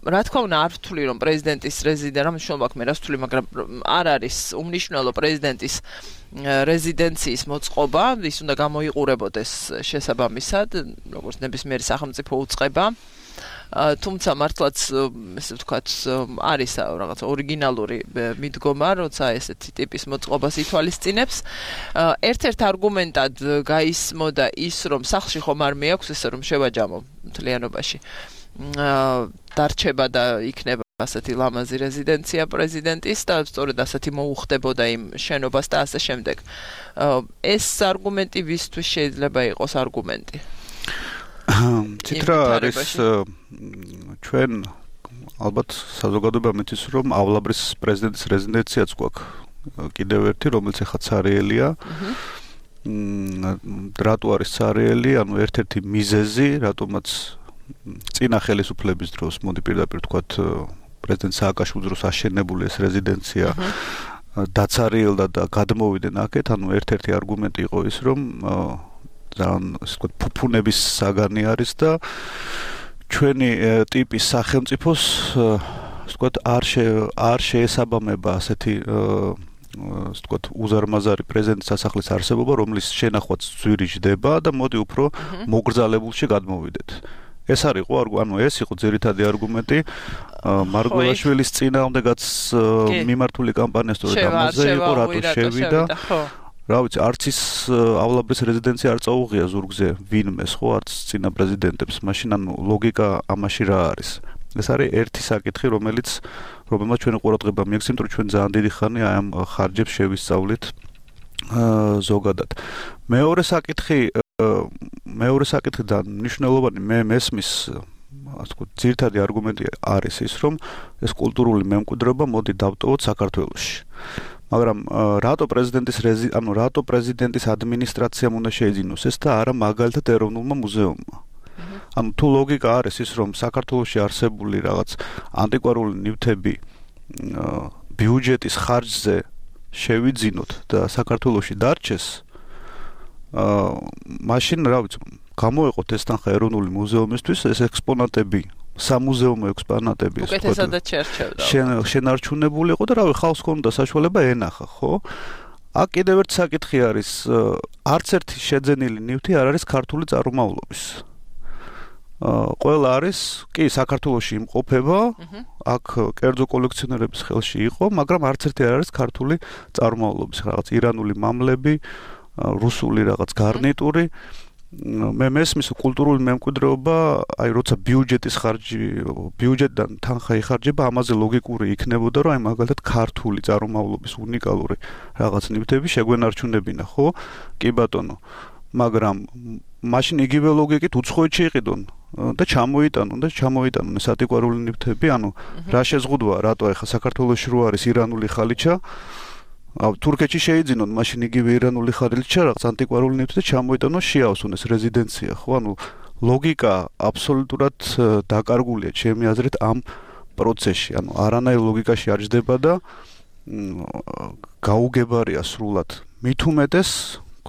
რა თქმა უნდა, არ ვთვლი, რომ პრეზიდენტის რეზიდენცია, რა მნიშვნელობა აქვს მე რას ვთვლი, მაგრამ არ არის უმნიშვნელო პრეზიდენტის რეზიდენციის მოწყობა, ის უნდა გამოიყურებოდეს შესაბამისად, როგორც ნებისმიერი სახელმწიფო უწყება. თუმცა მართლაც ესე ვთქვათ არის რაღაც ორიგინალური მიდგომა, როცა ესეთი ტიპის მოწყობას ითვალისწინებს. ერთ-ერთ არგუმენტად გაისმოდა ის, რომ სახლში ხომ არ მეაქვს ესე რომ შევაჯამო მთლიანობაში. დარჩება და იქნება ასეთი ლამაზი რეზიდენცია პრეზიდენტის და სწორედ ასეთი მოუხდებოდა იმ შენობას და ასე შემდეგ. ეს არგუმენტი ვისთვის შეიძლება იყოს არგუმენტი? ცითრა არის ჩვენ ალბათ საზოგადოება მითის რომ ავლაბრის პრეზიდენტის რეზიდენციაც გვაქვს კიდევ ერთი რომელიც ახლა ცარიელია. რატო არის ცარიელი? ანუ ერთ-ერთი მიზეზი რატომაც წინა ხელისუფლების დროს მოდი პირდაპირ ვთქვათ პრეზიდენტ სააკაშვილის დროს აშენებული ეს რეზიდენცია დაცარიელდა და გადმოვიდნენ აქეთ, ანუ ერთ-ერთი არგუმენტი იყო ის, რომ ძალიან ასე ვთქვათ ფუფუნების საგანი არის და ჩვენი ტიპის სახელმწიფოს ასე ვთქვათ არ არ შეესაბამება ასეთი ასე ვთქვათ უზარმაზარი პრეზიდენტის სასახლის არსებობა, რომლის შენახვაც ძვირი ჯდება და მოდი უფრო მოგრძალებულში გადმოვიდეთ. ეს არის ყო ანუ ეს იყო ძირითადი არგუმენტი მარგველაშვილის წინააღმდეგაც მიმართული კამპანია სწორედ ამაზე იყო რატო შევიდა რა ვიცი არც ის ავლაბრის რეზიდენცია არ წაუღია ზურგზე ვინმეს ხო არც წინა პრეზიდენტებს მაშინ ანუ ლოგიკა ამაში რა არის ეს არის ერთი საკითხი რომელიც რომელმაც ჩვენი ყურადღება მიექცევთ რომ ჩვენ ძალიან დიდი ხანია აი ამ ხარჯებს შევისწავლით ზოგადად მეორე საკითხი მეორე საკითხი და მნიშვნელოვანი მე მესმის ასე ვთქვათ ძირითადი არგუმენტი არის ის რომ ეს კულტურული მემკვიდრეობა მოდი დავტოვოთ საქართველოში მაგრამ რატო პრეზიდენტის ანუ რატო პრეზიდენტის ადმინისტრაციამ უნდა შეიძინოს ეს და არა მაგალითად ეროვნულმა მუზეუმმა ანუ თუ ლოგიკა არის ის რომ საქართველოში არსებული რაღაც ანტიკვარული ნივთები ბიუჯეტის ხარჯზე შევიძინოთ და საქართველოში დარჩეს აა მაშინ რა ვიცი გამოეყოთ ეს თანხა ეროვნული მუზეუმისთვის ეს ექსპონატები სამუზეუმო ექსპონატები ეს უკეთესადაც შერჩევდა შენარჩუნებული იყო და რავი ხალხს ქონდა საშუალება ენახა ხო აქ კიდევ ერთი საკითხი არის არც ერთი შეძენილი ნივთი არ არის ქართული წარმომავლობის ყველა არის კი საქართველოში იმყოფება აქ კერძო კოლექციონერების ხელში იყო მაგრამ არც ერთი არ არის ქართული წარმომავლობის რაღაც ირანული მამლები რუსული რაღაც გარნიტური მე მესმის კულტურული მემკვიდრეობა აი როცა ბიუჯეტის ხარჯი ბიუჯეტიდან თანხა იხარჯება ამაზე ლოგიკური იქნებოდა რომ აი მაგალითად ქართული წარმომავლობის უნიკალური რაღაც ნივთები შეგვენარჩუნებინა ხო კი ბატონო მაგრამ მაშინ იგივე ლოგიკით უცხოეთში იყიდონ და ჩამოიტანონ და ჩამოიტანონ ეს ანტიკვარული ნივთები ანუ რა შეზღუდვა რატო ახლა საქართველოში რო არის ირანული ხალიჩა აუ თურქეთში შეიძინონ მაშინ იგივე ირანული ხალიჩა რაღაც ანტიკვარული ნივთი და ჩამოიტანონ შეავსონ ეს რეზიდენცია ხო ანუ ლოგიკა აბსოლუტურად დაკარგულია ჩემი აზრით ამ პროცესში ანუ არანაირ ლოგიკაში არ ჯდება და გაუგებარია სრულად მით უმეტეს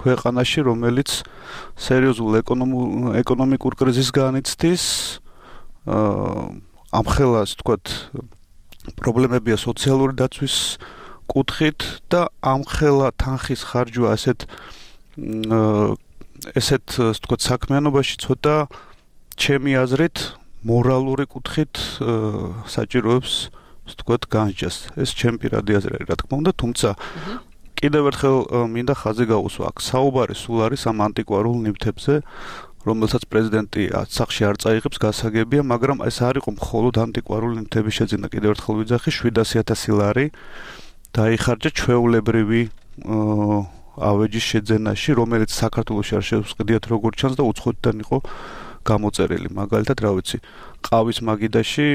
ქვეყანაში რომელიც სერიოზულ ეკონომიკურ კრიზისს განიცდის ამხელა ასე ვთქვათ პრობლემებია სოციალური დაცვის კუთხით და ამხელა თანხის ხარჯვა ასეთ ესეთ ასე ვთქვათ საქმიანობაში ცოტა ჩემი აზრით მორალური კუთხით საჭიროებს ასე ვთქვათ განჯას ეს ჩემი პირადი აზრი არის რა თქმა უნდა თუმცა კიდევ ერთხელ მინდა ხაზი გაუსვა აქ საუბარი სულ არის ამ ანტიკვარულ ნივთებზე რომელსაც პრეზიდენტი სახლში არ წაიღებს გასაგებია მაგრამ ეს არ იყო მხოლოდ ანტიკვარული ნივთების შეძენა კიდევ ერთხელ ვიძახი შვიდასი ათასი ლარი დაიხარჯა ჩვეულებრივი ავეჯის შეძენაში რომელიც საქართველოში არ შეუსყიდიათ როგორც ჩანს და უცხოეთიდან იყო გამოწერილი მაგალითად რა ვიცი ყავის მაგიდაში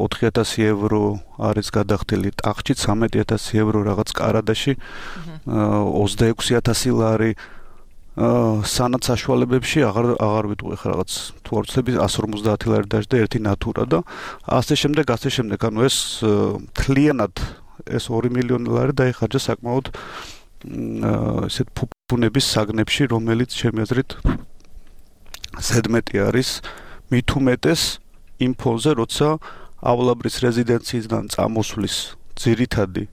ოთხი ათასი ევრო არის გადახდილი ტახტში ცამეტი ათასი ევრო რაღაც კარადაში ოცდაექვსი ათასი ლარი სანათ საშუალებებში აღარ აღარ ვიტყვი ხა რაღაც თუ არ ვცდები εκατს ორმოცდაათი ლარი დაждდა ერთი ნატურა და ასე შემდეგ ასე შემდეგ ანუ ეს თლიანად ეს ორი მილიონი ლარი დაიხარჯა საკმაოდ ესეთ ფუფუნების საგნებში რომელიც ჩემი აზრით ზედმეტი არის მით უმეტეს იმ ფონზე როცა ავლაბრის რეზიდენციიდან წამოსვლის ძირითადი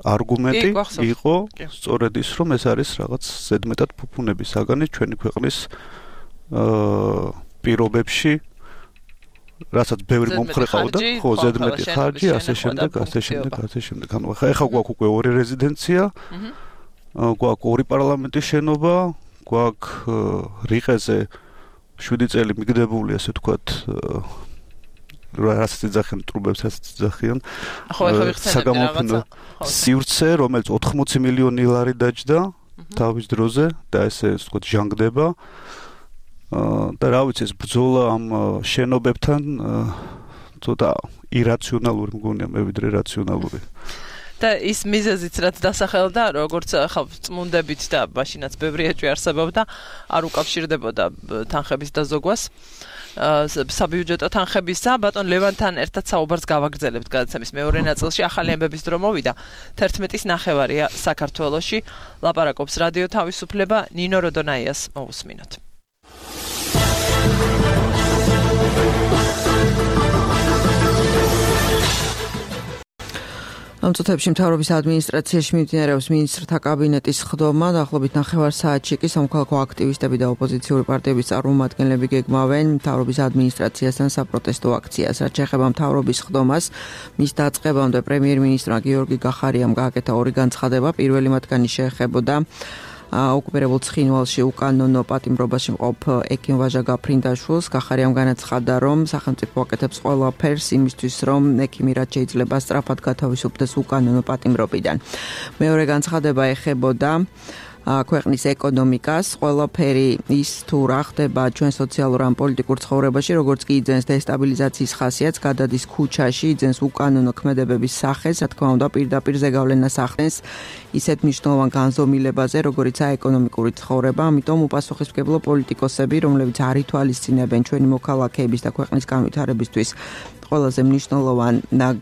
არგუმენტი იყო სწორედ ის რომ ეს არის რაღაც ზედმეტად ფუფუნების საგანი ჩვენი ქვეყნის პირობებში რასაც ბევრი მომხრე ყავდა, ხო, ზედმეტი ხარჯი, ასე შემდეგ, ასე შემდეგ, ასე შემდეგ. ანუ ხა ეხა გვაქვს უკვე ორი რეზიდენცია, გვაქვს ორი პარლამენტის შენობა, გვაქვს რიყეზე შვიდი წელი მიგდებული, ასე ვთქვათ, რასაც იძახიან ტრუბებს, რასაც იძახიან. ხო, ეხა ვიხსენებდი რაღაცა. სივრცე, რომელიც ოთხმოცი მილიონი ლარი დაჯდა თავის დროზე და ესე ვთქვათ ჟანგდება. და რა ვიცი ეს ბრძოლა ამ შენობებთან ცოტა ირაციონალური მგონია მე ვიდრე რაციონალური. და ის მიზეზიც რაც დასახელდა, როგორც ხა წმუნდებით და მაშინაც ბევრი ეჭვი არსებობდა, არ უკავშირდებოდა თანხების დაზოგვას. საბიუჯეტო თანხებისა, ბატონ ლევანთან ერთად საუბარს გავაგრძელებთ გადაცემის მეორე ნაწილში. ახალი ამბების დრო მოვიდა. თერთმეტის ნახევარია საქართველოში. ლაპარაკობს რადიო თავისუფლება, ნინო როდონაიას მოусმინოთ. ამ წუთებში მთავრობის ადმინისტრაციაში მიმდინარეობს მინისტრთა კაბინეტის ხდომა. დაახლოებით ნახევარ საათში კი სამოქალაქო აქტივისტები და ოპოზიციური პარტიების წარმომადგენლები გეგმავენ მთავრობის ადმინისტრაციასთან საპროტესტო აქციას. რაც შეეხება მთავრობის ხდომას, მის დაწყებამდე პრემიერ-მინისტრმა გიორგი გახარიამ გააკეთა ორი განცხადება. პირველი მათგანი შეეხებოდა ოკუპირებულ ცხინვალში უკანონო პატიმრობაში მყოფ ექიმ ვაჟა გაფრინდაშვილს. გახარიამ განაცხადა, რომ სახელმწიფო აკეთებს ყველაფერს იმისთვის, რომ ექიმი რაც შეიძლება სწრაფად გათავისუფლდეს უკანონო პატიმრობიდან. მეორე განცხადება ეხებოდა ქვეყნის ეკონომიკას, ყველაფერი ის თუ რა ხდება ჩვენ სოციალურ ან პოლიტიკურ ცხოვრებაში, როგორც კი იძენს დესტაბილიზაციის ხასიათს, გადადის ქუჩაში, იძენს უკანონო ქმედებების სახეს, რა თქმა უნდა, პირდაპირ ზეგავლენას ახდენს ისეთ მნიშვნელოვან განზომილებაზე, როგორიცაა ეკონომიკური ცხოვრება. ამიტომ უპასუხისმგებლო პოლიტიკოსები, რომლებიც არ ითვალისწინებენ ჩვენი მოქალაქეების და ქვეყნის განვითარებისთვის ყველაზე მნიშვნელოვან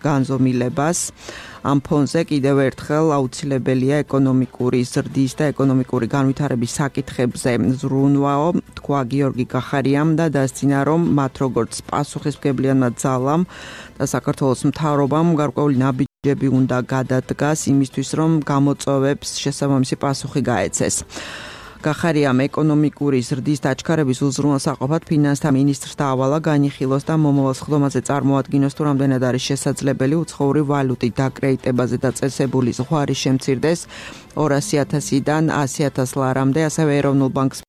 განზომილებას, ამ ფონზე კიდევ ერთხელ აუცილებელია ეკონომიკური ზრდის და ეკონომიკური განვითარების საკითხებზე ზრუნვაო, თქვა გიორგი გახარიამ და დასცინა, რომ მათ როგორც პასუხისმგებლიანმა ძალამ და საქართველოს მთავრობამ გარკვეული ნაბიჯები უნდა გადადგას იმისთვის, რომ გამოწვევებს შესაბამისი პასუხი გაეცეს. გახარიამ ეკონომიკური ზრდის დაჩქარების უზრუნველსაყოფად ფინანსთა მინისტრს დაავალა განიხილოს და მომავალ ხდომაზე წარმოადგინოს, თუ რამდენად არის შესაძლებელი უცხოური ვალუტით დაკრედიტებაზე დაწესებული ზღვარი შემცირდეს ორასი ათასიდან ასი ათას ლარამდე, ასევე ეროვნულ ბანკს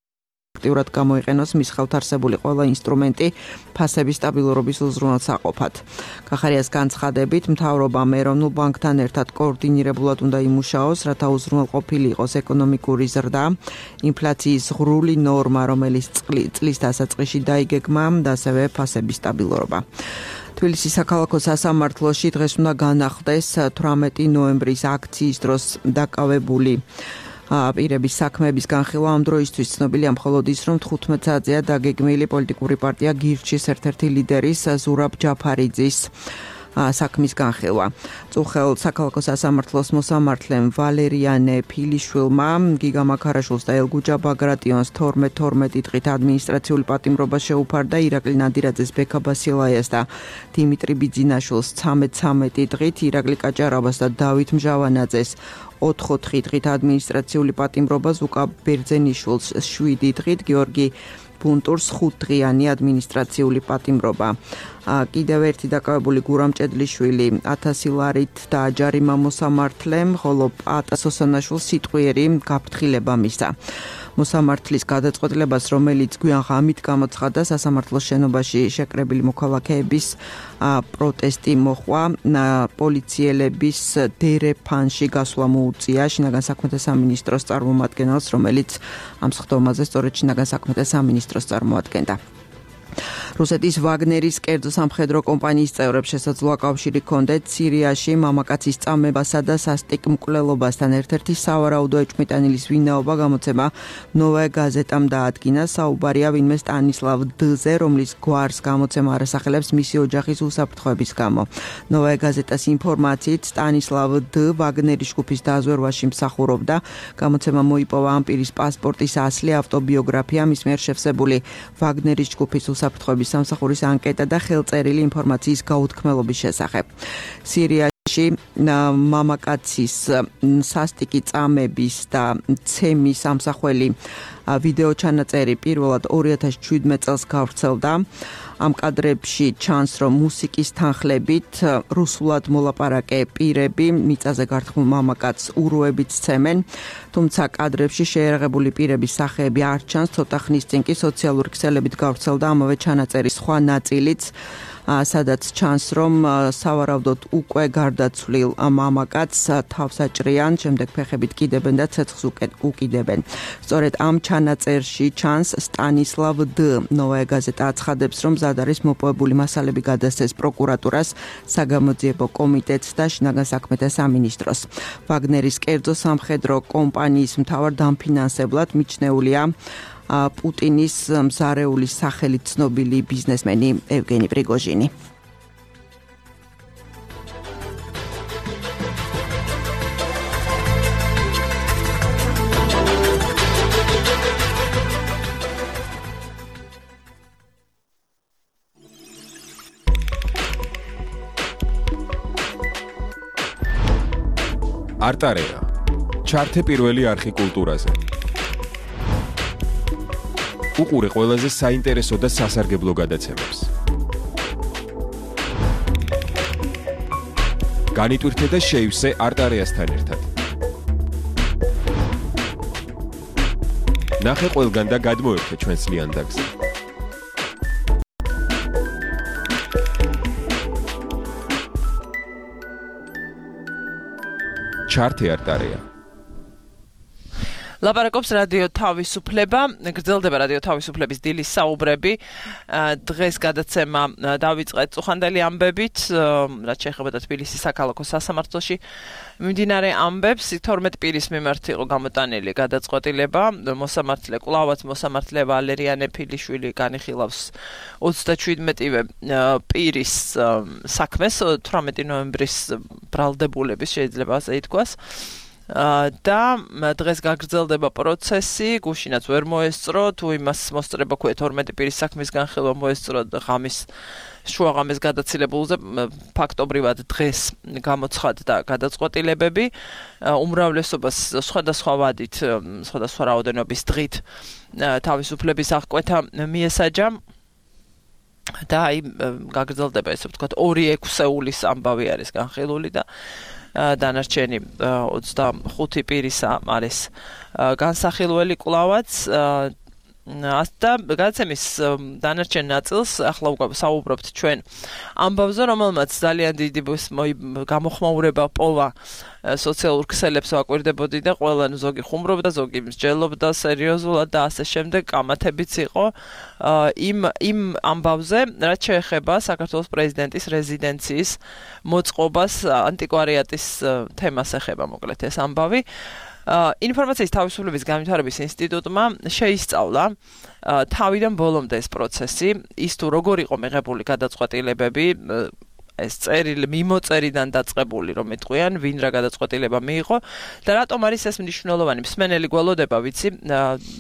აქტიურად გამოიყენოს მის ხელთ არსებული ყველა ინსტრუმენტი ფასების სტაბილურობის უზრუნველსაყოფად. გახარიას განცხადებით, მთავრობამ ეროვნულ ბანკთან ერთად კოორდინირებულად უნდა იმუშაოს, რათა უზრუნველყოფილი იყოს ეკონომიკური ზრდა, ინფლაციის ღრული ნორმა, რომელიც წლის დასაწყისში დაიგეგმა და ასევე ფასების სტაბილურობა. თბილისის საქალაქო სასამართლოში დღეს უნდა განახდეს თვრამეტი ნოემბრის აქციის დროს დაკავებული პირების საქმეების განხილვა. ამ დროისთვის ცნობილია მხოლოდ ის, რომ თხუთმეტ საათზეა დაგეგმილი პოლიტიკური პარტია გირჩის ერთ-ერთი ლიდერის ზურაბ ჯაფარიძის საქმის განხილვა. წუხელ საქალაქო სასამართლოს მოსამართლემ ვალერიანე ფილიშვილმა გიგა მაქარაშვილს და ელგუჯა ბაგრატიონს თორმეტ თორმეტი დღით ადმინისტრაციული პატიმრობა შეუფარდა, ირაკლი ნადირაძეს, ბექა ბასილაიას და დიმიტრი ბიძინაშვილს ცამეტ ცამეტი დღით, ირაკლი კაჭარაბას და დავით მჟავანაძეს ოთხ-ოთხი დღით ადმინისტრაციული პატიმრობა, ზუკა ბერძენიშვილს შვიდი დღით, გიორგი ბუნტურს ხუთდღიანი ადმინისტრაციული პატიმრობა. კიდევ ერთი დაკავებული გურამ ჭედლიშვილი ათასი ლარით დააჯარიმა მოსამართლემ, ხოლო პატა სოსანაშვილს სიტყვიერი გაფრთხილება მისცა. მოსამართლის გადაწყვეტილებას, რომელიც გვიან ღამით გამოცხადა, სასამართლოს შენობაში შეკრებილი მოქალაქეების პროტესტი მოჰყვა. პოლიციელების დერეფანში გასვლა მოუწია შინაგან საქმეთა სამინისტროს წარმომადგენელს, რომელიც ამ სხდომაზე სწორედ შინაგან საქმეთა სამინისტროს წარმოადგენდა. რუსეთის ვაგნერის კერძო სამხედრო კომპანიის წევრებს შესაძლოა კავშირი ჰქონდეთ სირიაში მამაკაცის წამებასა და სასტიკ მკვლელობასთან. ერთ-ერთი სავარაუდო ეჭვმიტანილის ვინაობა გამოცემა ნოვაია გაზეტამ დაადგინა. საუბარია ვინმე სტანისლავ დ-ზე, რომლის გვარს გამოცემა არასახელებს მისი ოჯახის უსაფრთხოების გამო. ნოვაია გაზეტას ინფორმაციით სტანისლავ დ ვაგნერის ჯგუფის დაზვერვაში მსახურობდა. გამოცემა მოიპოვა ამ პირის პასპორტის ასლი, ავტობიოგრაფია, მის მიერ შევსებული ვაგნერის ჯგუფის უსაფრთხოების სამსახურის ანკეტა და ხელწერილი ინფორმაციის გაუთქმელობის შესახებ. სირიაში მამაკაცის სასტიკი წამების და ცემის სამსახველი ვიდეო ჩანაწერი პირველად ორი ათას შვიდმეტ წელს გავრცელდა. ამ კადრებში ჩანს, რომ მუსიკის თანხლებით რუსულად მოლაპარაკე პირები მიწაზე გართმულ მამაკაცს უროებით სცემენ, თუმცა კადრებში შეიარაღებული პირების სახეები არ ჩანს. ცოტა ხნის წინ კი სოციალური ქსელებით გავრცელდა ამავე ჩანაწერის სხვა ნაწილიც, სადაც ჩანს, რომ სავარაუდოდ უკვე გარდაცვლილ მამაკაცს თავს აჭრიან, შემდეგ ფეხებით კიდებენ და ცეცხლს უკიდებენ. სწორედ ამ ჩანაწერში ჩანს სტანისლავ დ. ნოვაია გაზეტა აცხადებს, რომ მზად არის მოპოვებული მასალები გადასცეს პროკურატურას, საგამოძიებო კომიტეტს და შინაგან საქმეთა სამინისტროს. ვაგნერის კერძო სამხედრო კომპანიის მთავარ დამფინანსებლად მიჩნეულია პუტინის მზარეულის სახელით ცნობილი ბიზნესმენი ევგენი პრიგოჟინი. არტარეა. ჩართე პირველი არხი კულტურაზე. უყურე ყველაზე საინტერესო და სასარგებლო გადაცემებს. განიტვირთე და შეივსე არტარეასთან ერთად. ნახე ყველგან და გადმოერთე ჩვენს ლიანდაგზე. ჩართე არტარეა. ლაპარაკობს რადიო თავისუფლება, გრძელდება რადიო თავისუფლების დილის საუბრები. დღეს გადაცემა დავიწყეთ წუხანდელი ამბებით, რაც შეეხება თბილისის საქალაქო სასამართლოში მიმდინარე ამბებს. თორმეტ პირის მიმართ იყო გამოტანილი გადაწყვეტილება. მოსამართლე კვლავაც მოსამართლე ვალერიანე ფილიშვილი განიხილავს ოცდაშვიდმეტივე პირის საქმეს თვრამეტი ნოემბრის ბრალდებულების შეიძლება ასე ითქვას. და დღეს გაგრძელდება პროცესი, გუშინაც ვერ მოესწრო, თუ იმას მოსწრება ქვია თორმეტი პირის საქმის განხილვა მოესწრო ღამის შუაღამის გადაცილებულზე ფაქტობრივად დღეს გამოცხადდა გადაწყვეტილებები. უმრავლესობას სხვადასხვა ვადით, სხვადასხვა რაოდენობის დღით თავისუფლების აღკვეთა მიესაჯა. და აი გაგრძელდება ესე ვთქვათ ორი ექვსეულის ამბავი არის განხილული და დანარჩენი ოცდახუთი პირისა არის განსახილველი კვლავაც და გადაცემის დანარჩენ ნაწილს ახლა უკვე საუბრობთ ჩვენ ამბავზე, რომელმაც ძალიან დიდი გამოხმაურება პოვა სოციალურ ქსელებს ვაკვირდებოდი და ყველა ზოგი ხუმრობდა, ზოგი მსჯელობდა სერიოზულად და ასე შემდეგ კამათებიც იყო იმ იმ ამბავზე, რაც შეეხება საქართველოს პრეზიდენტის რეზიდენციის მოწყობას, ანტიკვარიატის თემას ეხება მოკლედ ეს ამბავი. ინფორმაციის თავისუფლების განვითარების ინსტიტუტმა შეისწავლა თავიდან ბოლომდე ეს პროცესი, ის თუ როგორ იყო მიღებული გადაწყვეტილებები, ეს წერილი მიმოწერიდან დაწყებული რომ ეთყვიან, ვინ რა გადაწყვეტილება მიიღო და რატომ არის ეს მნიშვნელოვანი. მსმენელი გველოდება, ვიცი,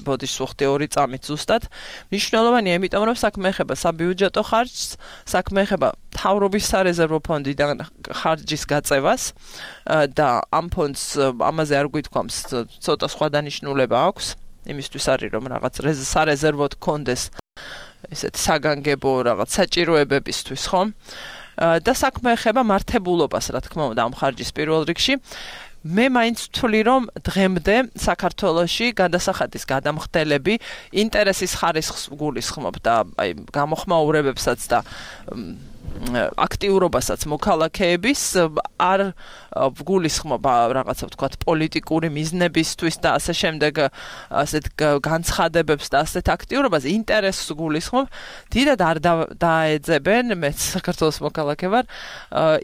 ბოდიშს ვუხდი ორი წამით ზუსტად. მნიშვნელოვანია, იმიტომ რომ საქმე ეხება საბიუჯეტო ხარჯს, საქმე ეხება მთავრობის სარეზერვო ფონდიდან ხარჯის გაწევას და ამ ფონდს ამაზე არ გვითქვამს ცოტა სხვა დანიშნულება აქვს, იმისთვის არის რომ რაღაც სარეზერვოდ კონდეს ესეთი საგანგებო რაღაც საჭიროებებისთვის, ხომ? და საქმე ეხება მართებულობას, რა თქმა უნდა, ამ ხარჯის პირველ რიგში. მე მაინც ვთვლი, რომ დღემდე საქართველოში გადასახადის გადამხდელები ინტერესის ხარისხს გულისხმობ და აი გამოხმაურებებსაც და აქტიურობასაც მოქალაქეების არ გულისხმობა რაღაცა ვთქვათ პოლიტიკური მიზნებისთვის და ასე შემდეგ ასეთ განცხადებებს და ასეთ აქტიურობას ინტერესს გულისხმობ. დიდად არ დაეძებენ, მეც საქართველოს მოქალაქე ვარ,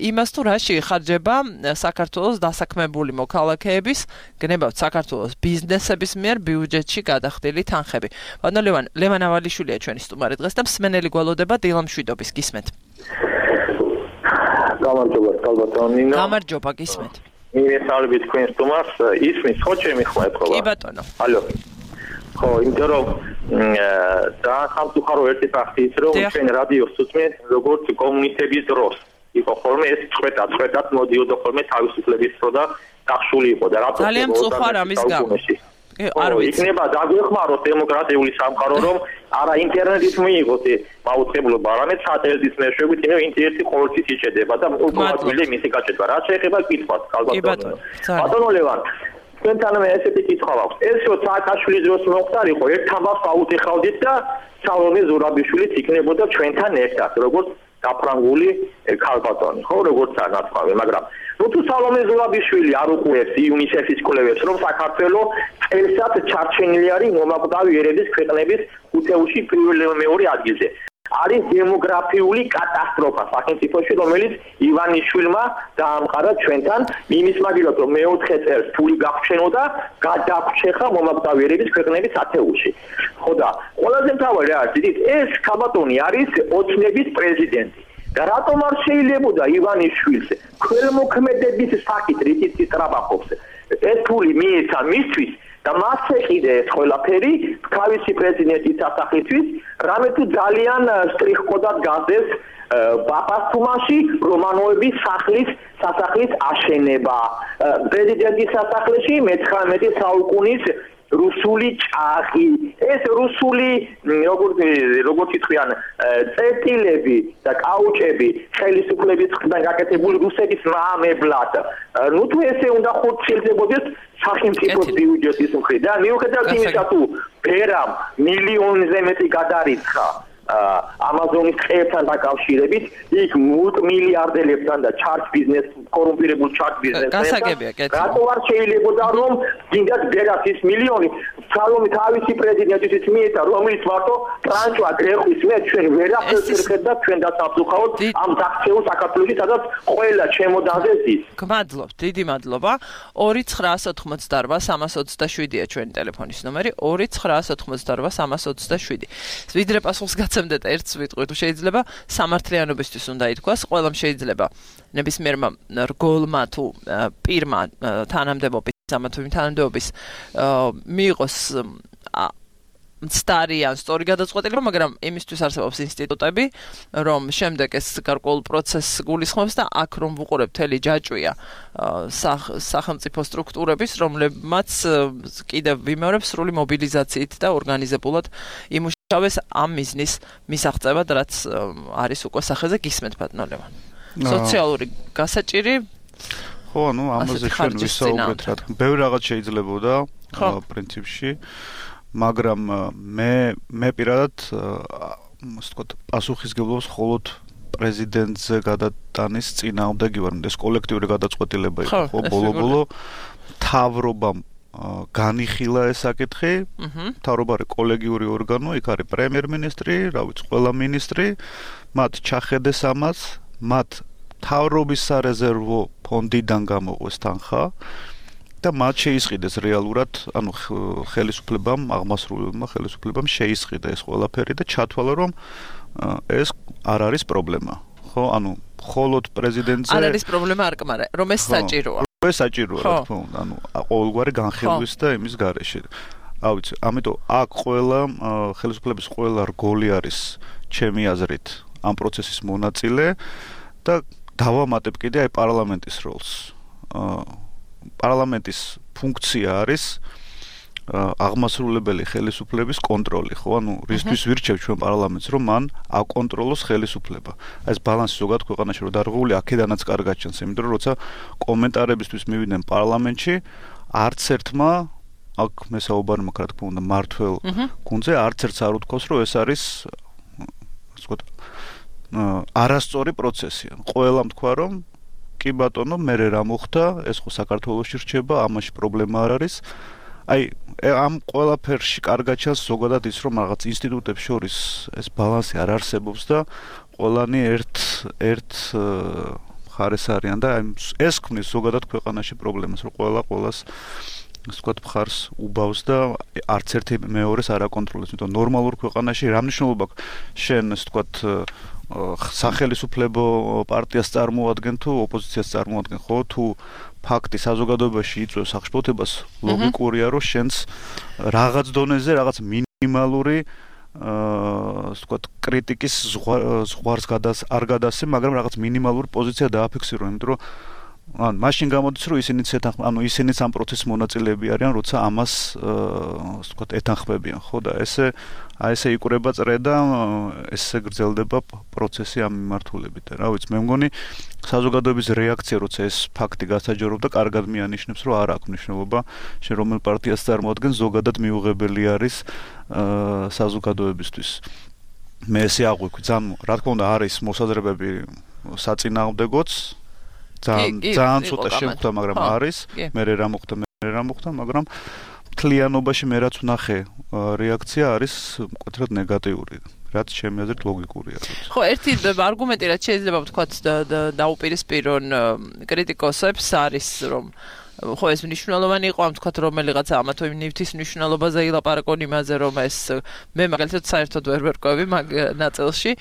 იმას თუ რაში იხარჯება საქართველოს დასაქმებული მოქალაქეების, გნებავთ საქართველოს ბიზნესების მიერ ბიუჯეტში გადახდილი თანხები. ბატონო ლევან ლევან ავალიშვილია ჩვენი სტუმარი დღეს და მსმენელი გველოდება დილამშვიდობის გისმენთ. გამარჯობა, ბატონინო. გამარჯობა, გისმენთ. მივესალმები თქვენ სტუმარს, ისმის ხო ჩემი ხმა ეთქობა? კი ბატონო. ალო. ხო, იმიტომ რომ და სამწუხარო ერთი ფაქტი ის რომ ჩვენ რადიოს უსმენთ როგორც კომუნისტების დროს. იყო ხოლმე ეს წვეტა, წვეტად მოდიოდა ხოლმე თავისუფლების დრო და დახშული იყო და რატო ძალიან მწუხარ ამის გამო. არ ვიცი. იქნება დაგვეხმაროთ დემოკრატიული სამყარო, რომ არა ინტერნეტით მიიღოთ მაუწყებლობა, არამედ სატელიტის მეშვეობით, ინო ინტერნეტი ყოველთვის იჭედება და უკმაყოფილე მისი გაჭედება. რაც შეეხება კითხვას, ალბათ. ბატონო ლევან, თქვენთან მე ესეთი კითხვა მაქვს. ეს რო სააკაშვილის დროს მოხდარიყო, ერთ თამბავს აუტეხავდით და სალომე ზურაბიშვილიც იქნებოდა ჩვენთან ერთად, როგორც გაფრანგული ქალბატონი, ხო, როგორც განაცხადი, მაგრამ ну თუ სალომე ზურაბიშვილი არ უყურებს იუნისეფის კვლევებს, რომ საქართველოს წელსაც ჩარჩენილი არის მომაკვდავი ერების ქვეყნების უთეულში პირველ მეორე ადგილზე. არის დემოგრაფიული კატასტროფა სახელმწიფოში, რომელიც ივანიშვილმა დაამყარა ჩვენთან იმის მაგილად, რომ მეოთხე წელს ფული გაგვჩენოდა, გადაგვრჩეხა მომაკვდავი ერების ქვეყნების ათეულში. ხო და ყველაზე მთავარი რა არის, დიდ ეს ქალბატონი არის ოცნების პრეზიდენტი. და რატომ არ შეიძლებოდა ივანიშვილს ქველმოქმედების საკით რითიც ისტრაბახობს ეს ფული მიეცა მისთვის და მას ეყიდა ეს ყველაფერი თავისი პრეზიდენტის სასახლისთვის რამე თუ ძალიან სტრიხკოდად გაზდეს ბაფასთუმაში რომანოების სახლის სასახლის აშენება პრეზიდენტის სასახლეში მეცხრამეტე საუკუნის რუსული ჭაღი ეს რუსული როგორც როგორც იტყვიან წერტილები და კაუჭები ხელისუფლების მხრიდან გაკეთებული რუსეთის მაამებლად ნუ თუ ესე უნდა ხორციელდებოდეს სახელმწიფოს ბიუჯეტის მხრიდან მიუხედავად იმისა თუ ბერამ მილიონზე მეტი გადარიცხა ამაზონის ტყეებთან დაკავშირებით იქ მულტიმილიარდელებთან და ჩარჯ ბიზნეს კორუმპირებულ ჩარჯ ბიზნესთან რატო არ შეიძლებოდა რომ გინდათ ბერას ის მილიონი სალომე თავისი პრეზიდენტისთვის მიეცა რომელიც მარტო ტრანჭვა გრეხვის მე ჩვენ ვერაფერს და ჩვენ დასაფსუხავთ ამ დაქცეულ საქართველოში სადაც ყველა ჩემოდანზე ზის გმადლობთ დიდი მადლობა ორი ცხრაას ოთხმოცდაორვა სამას ოცდაშვიდია ჩვენი ტელეფონის ნომერი ორი ცხრაას ოთხმოცდაორვა სამას ოცდაშვიდი ვიდრე პასუხს გაცემდეთ ერთს ვიტყვი თუ შეიძლება სამართლიანობისთვის უნდა ითქვას ყველამ შეიძლება ნებისმიერმა რგოლმა თუ პირმა თანამდებობის ამა თუ იმ თანამდებობის მიიღოს მცდარიან სწორი გადაწყვეტილება, მაგრამ იმისთვის არსებობს ინსტიტუტები, რომ შემდეგ ეს გარკვეულ პროცესს გულისხმობს და აქ რომ ვუყურებთ მთელი ჯაჭვია სახელმწიფო სტრუქტურების, რომლებმაც კიდევ ვიმეორებ სრული მობილიზაციით და ორგანიზებულად იმუშავეს ამ მიზნის მისაღწევად, რაც არის უკვე სახეზე გისმენთ ბატონო ლევან. სოციალური გასაჭირი ხო, ну, ამაზე ჩვენ ვისაუბრეთ, რა თქმა უნდა, ბევრი რაღაც შეიძლებოდა პრინციპში. მაგრამ მე მე პირადად ასე ვთქვათ პასუხისგებლობს მხოლოდ პრეზიდენტზე გადატანის წინააღმდეგი ვარ. ეს კოლექტიური გადაწყვეტილება იყო ხო ბოლო-ბოლო მთავრობამ განიხილა ეს საკითხი. მთავრობა არის კოლეგიური ორგანო, იქ არის პრემიერ-მინისტრი, რა ვიცი, ყველა მინისტრი, მათ ჩახედეს ამას, მათ მთავრობის სარეზერვო ფონდიდან გამოყვეს თანხა. და მათ შეისყიდეს რეალურად, ანუ ხელისუფლებამ, აღმასრულებელმა ხელისუფლებამ შეისყიდა ეს ყველაფერი და ჩათვალა, რომ ეს არ არის პრობლემა. ხო, ანუ მხოლოდ პრეზიდენტზე არ არის პრობლემა არ კმარა, რომ ეს საჭიროა. ეს საჭიროა, რა თქმა უნდა, ანუ ყოველგვარი განხილვის და იმის გარეშე. რა ვიცი, ამიტომ აქ ყველა ხელისუფლების ყველა რგოლი არის ჩემი აზრით ამ პროცესის მონაწილე და დავამატებ კიდე აი პარლამენტის როლს. პარლამენტის ფუნქცია არის აღმასრულებელი ხელისუფლების კონტროლი, ხო? ანუ რისთვის ვირჩევ ჩვენ პარლამენტს, რომ მან აკონტროლოს ხელისუფლება. ეს ბალანსი ზოგადად ქვეყანაში რომ დარღვეული აქედანაც კარგად ჩანს, იმიტომ რომ როცა კომენტარებისთვის მივიდნენ პარლამენტში, არც ერთმა აქ მე საუბარი მაქვს, რა თქმა უნდა, მართველ გუნდზე, არც ერთს არ უთქვას, რომ ეს არის ასე ვთქვათ, არასწორი პროცესია. ყველამ თქვა, რომ კი ბატონო, მე რა მოხდა, ეს ხო საქართველოში რჩება, ამაში პრობლემა არ არის. აი, ამ ყველაფერში კარგად ჩანს ზოგადად ის, რომ რაღაც ინსტიტუტებს შორის ეს ბალანსი არ არსებობს და ყველანი ერთ ერთ მხარეს არიან და ეს ქმნის ზოგადად ქვეყანაში პრობლემას, რომ ყველა ყველას ასე ვთქვათ, მხარს უბავს და არც ერთი მეორეს არ აკონტროლებს. იმიტომ ნორმალურ ქვეყანაში რა მნიშვნელობა აქვს შენ ასე ვთქვათ სახელისუფლებო პარტიას წარმოადგენ თუ ოპოზიციას წარმოადგენ, ხო? თუ ფაქტი საზოგადოებაში იწვევს აღშფოთებას, ლოგიკურია, რომ შენს რაღაც დონეზე რაღაც მინიმალური ასე ვთქვათ, კრიტიკის ზღვარს გადას არ გადასცემ, მაგრამ რაღაც მინიმალური პოზიცია დააფიქსირო, იმიტომ რომ ან მაშინ გამოდის რომ ისინიც ეთანხმ ანუ ისინიც ამ პროცესის მონაწილეები არიან როცა ამას ასე ვთქვათ ეთანხმებიან ხო და ესე აი ესე იკვრება წრე და ესე გრძელდება პროცესი ამ მიმართულებით და რა ვიცი მე მგონი საზოგადოების რეაქცია როცა ეს ფაქტი გასაჯაროვდა კარგად მიანიშნებს რომ არ აქვს მნიშვნელობა შენ რომელ პარტიას წარმოადგენს ზოგადად მიუღებელი არის საზოგადოებისთვის მე ესე აღვიქვი ძალიან რა თქმა უნდა არის მოსაზრებები საწინააღმდეგოც ძალიან ძალიან ცოტა შემხვდა მაგრამ არის მე რა მოხდა მე რა მოხდა მაგრამ მთლიანობაში მე რაც ვნახე რეაქცია არის მკვეთრად ნეგატიური რაც ჩემი აზრით ლოგიკურია ხო ერთი არგუმენტი რაც შეიძლება ვთქვათ დაუპირისპირონ კრიტიკოსებს არის რომ ხო ეს მნიშვნელოვანი იყო ამ თქვათ რომელიღაცა ამა თუ იმ ნივთის მნიშვნელობაზე ილაპარაკონ იმაზე რომ ეს მე მაგალითად საერთოდ ვერ ვერკვევი მაგ ნაწილში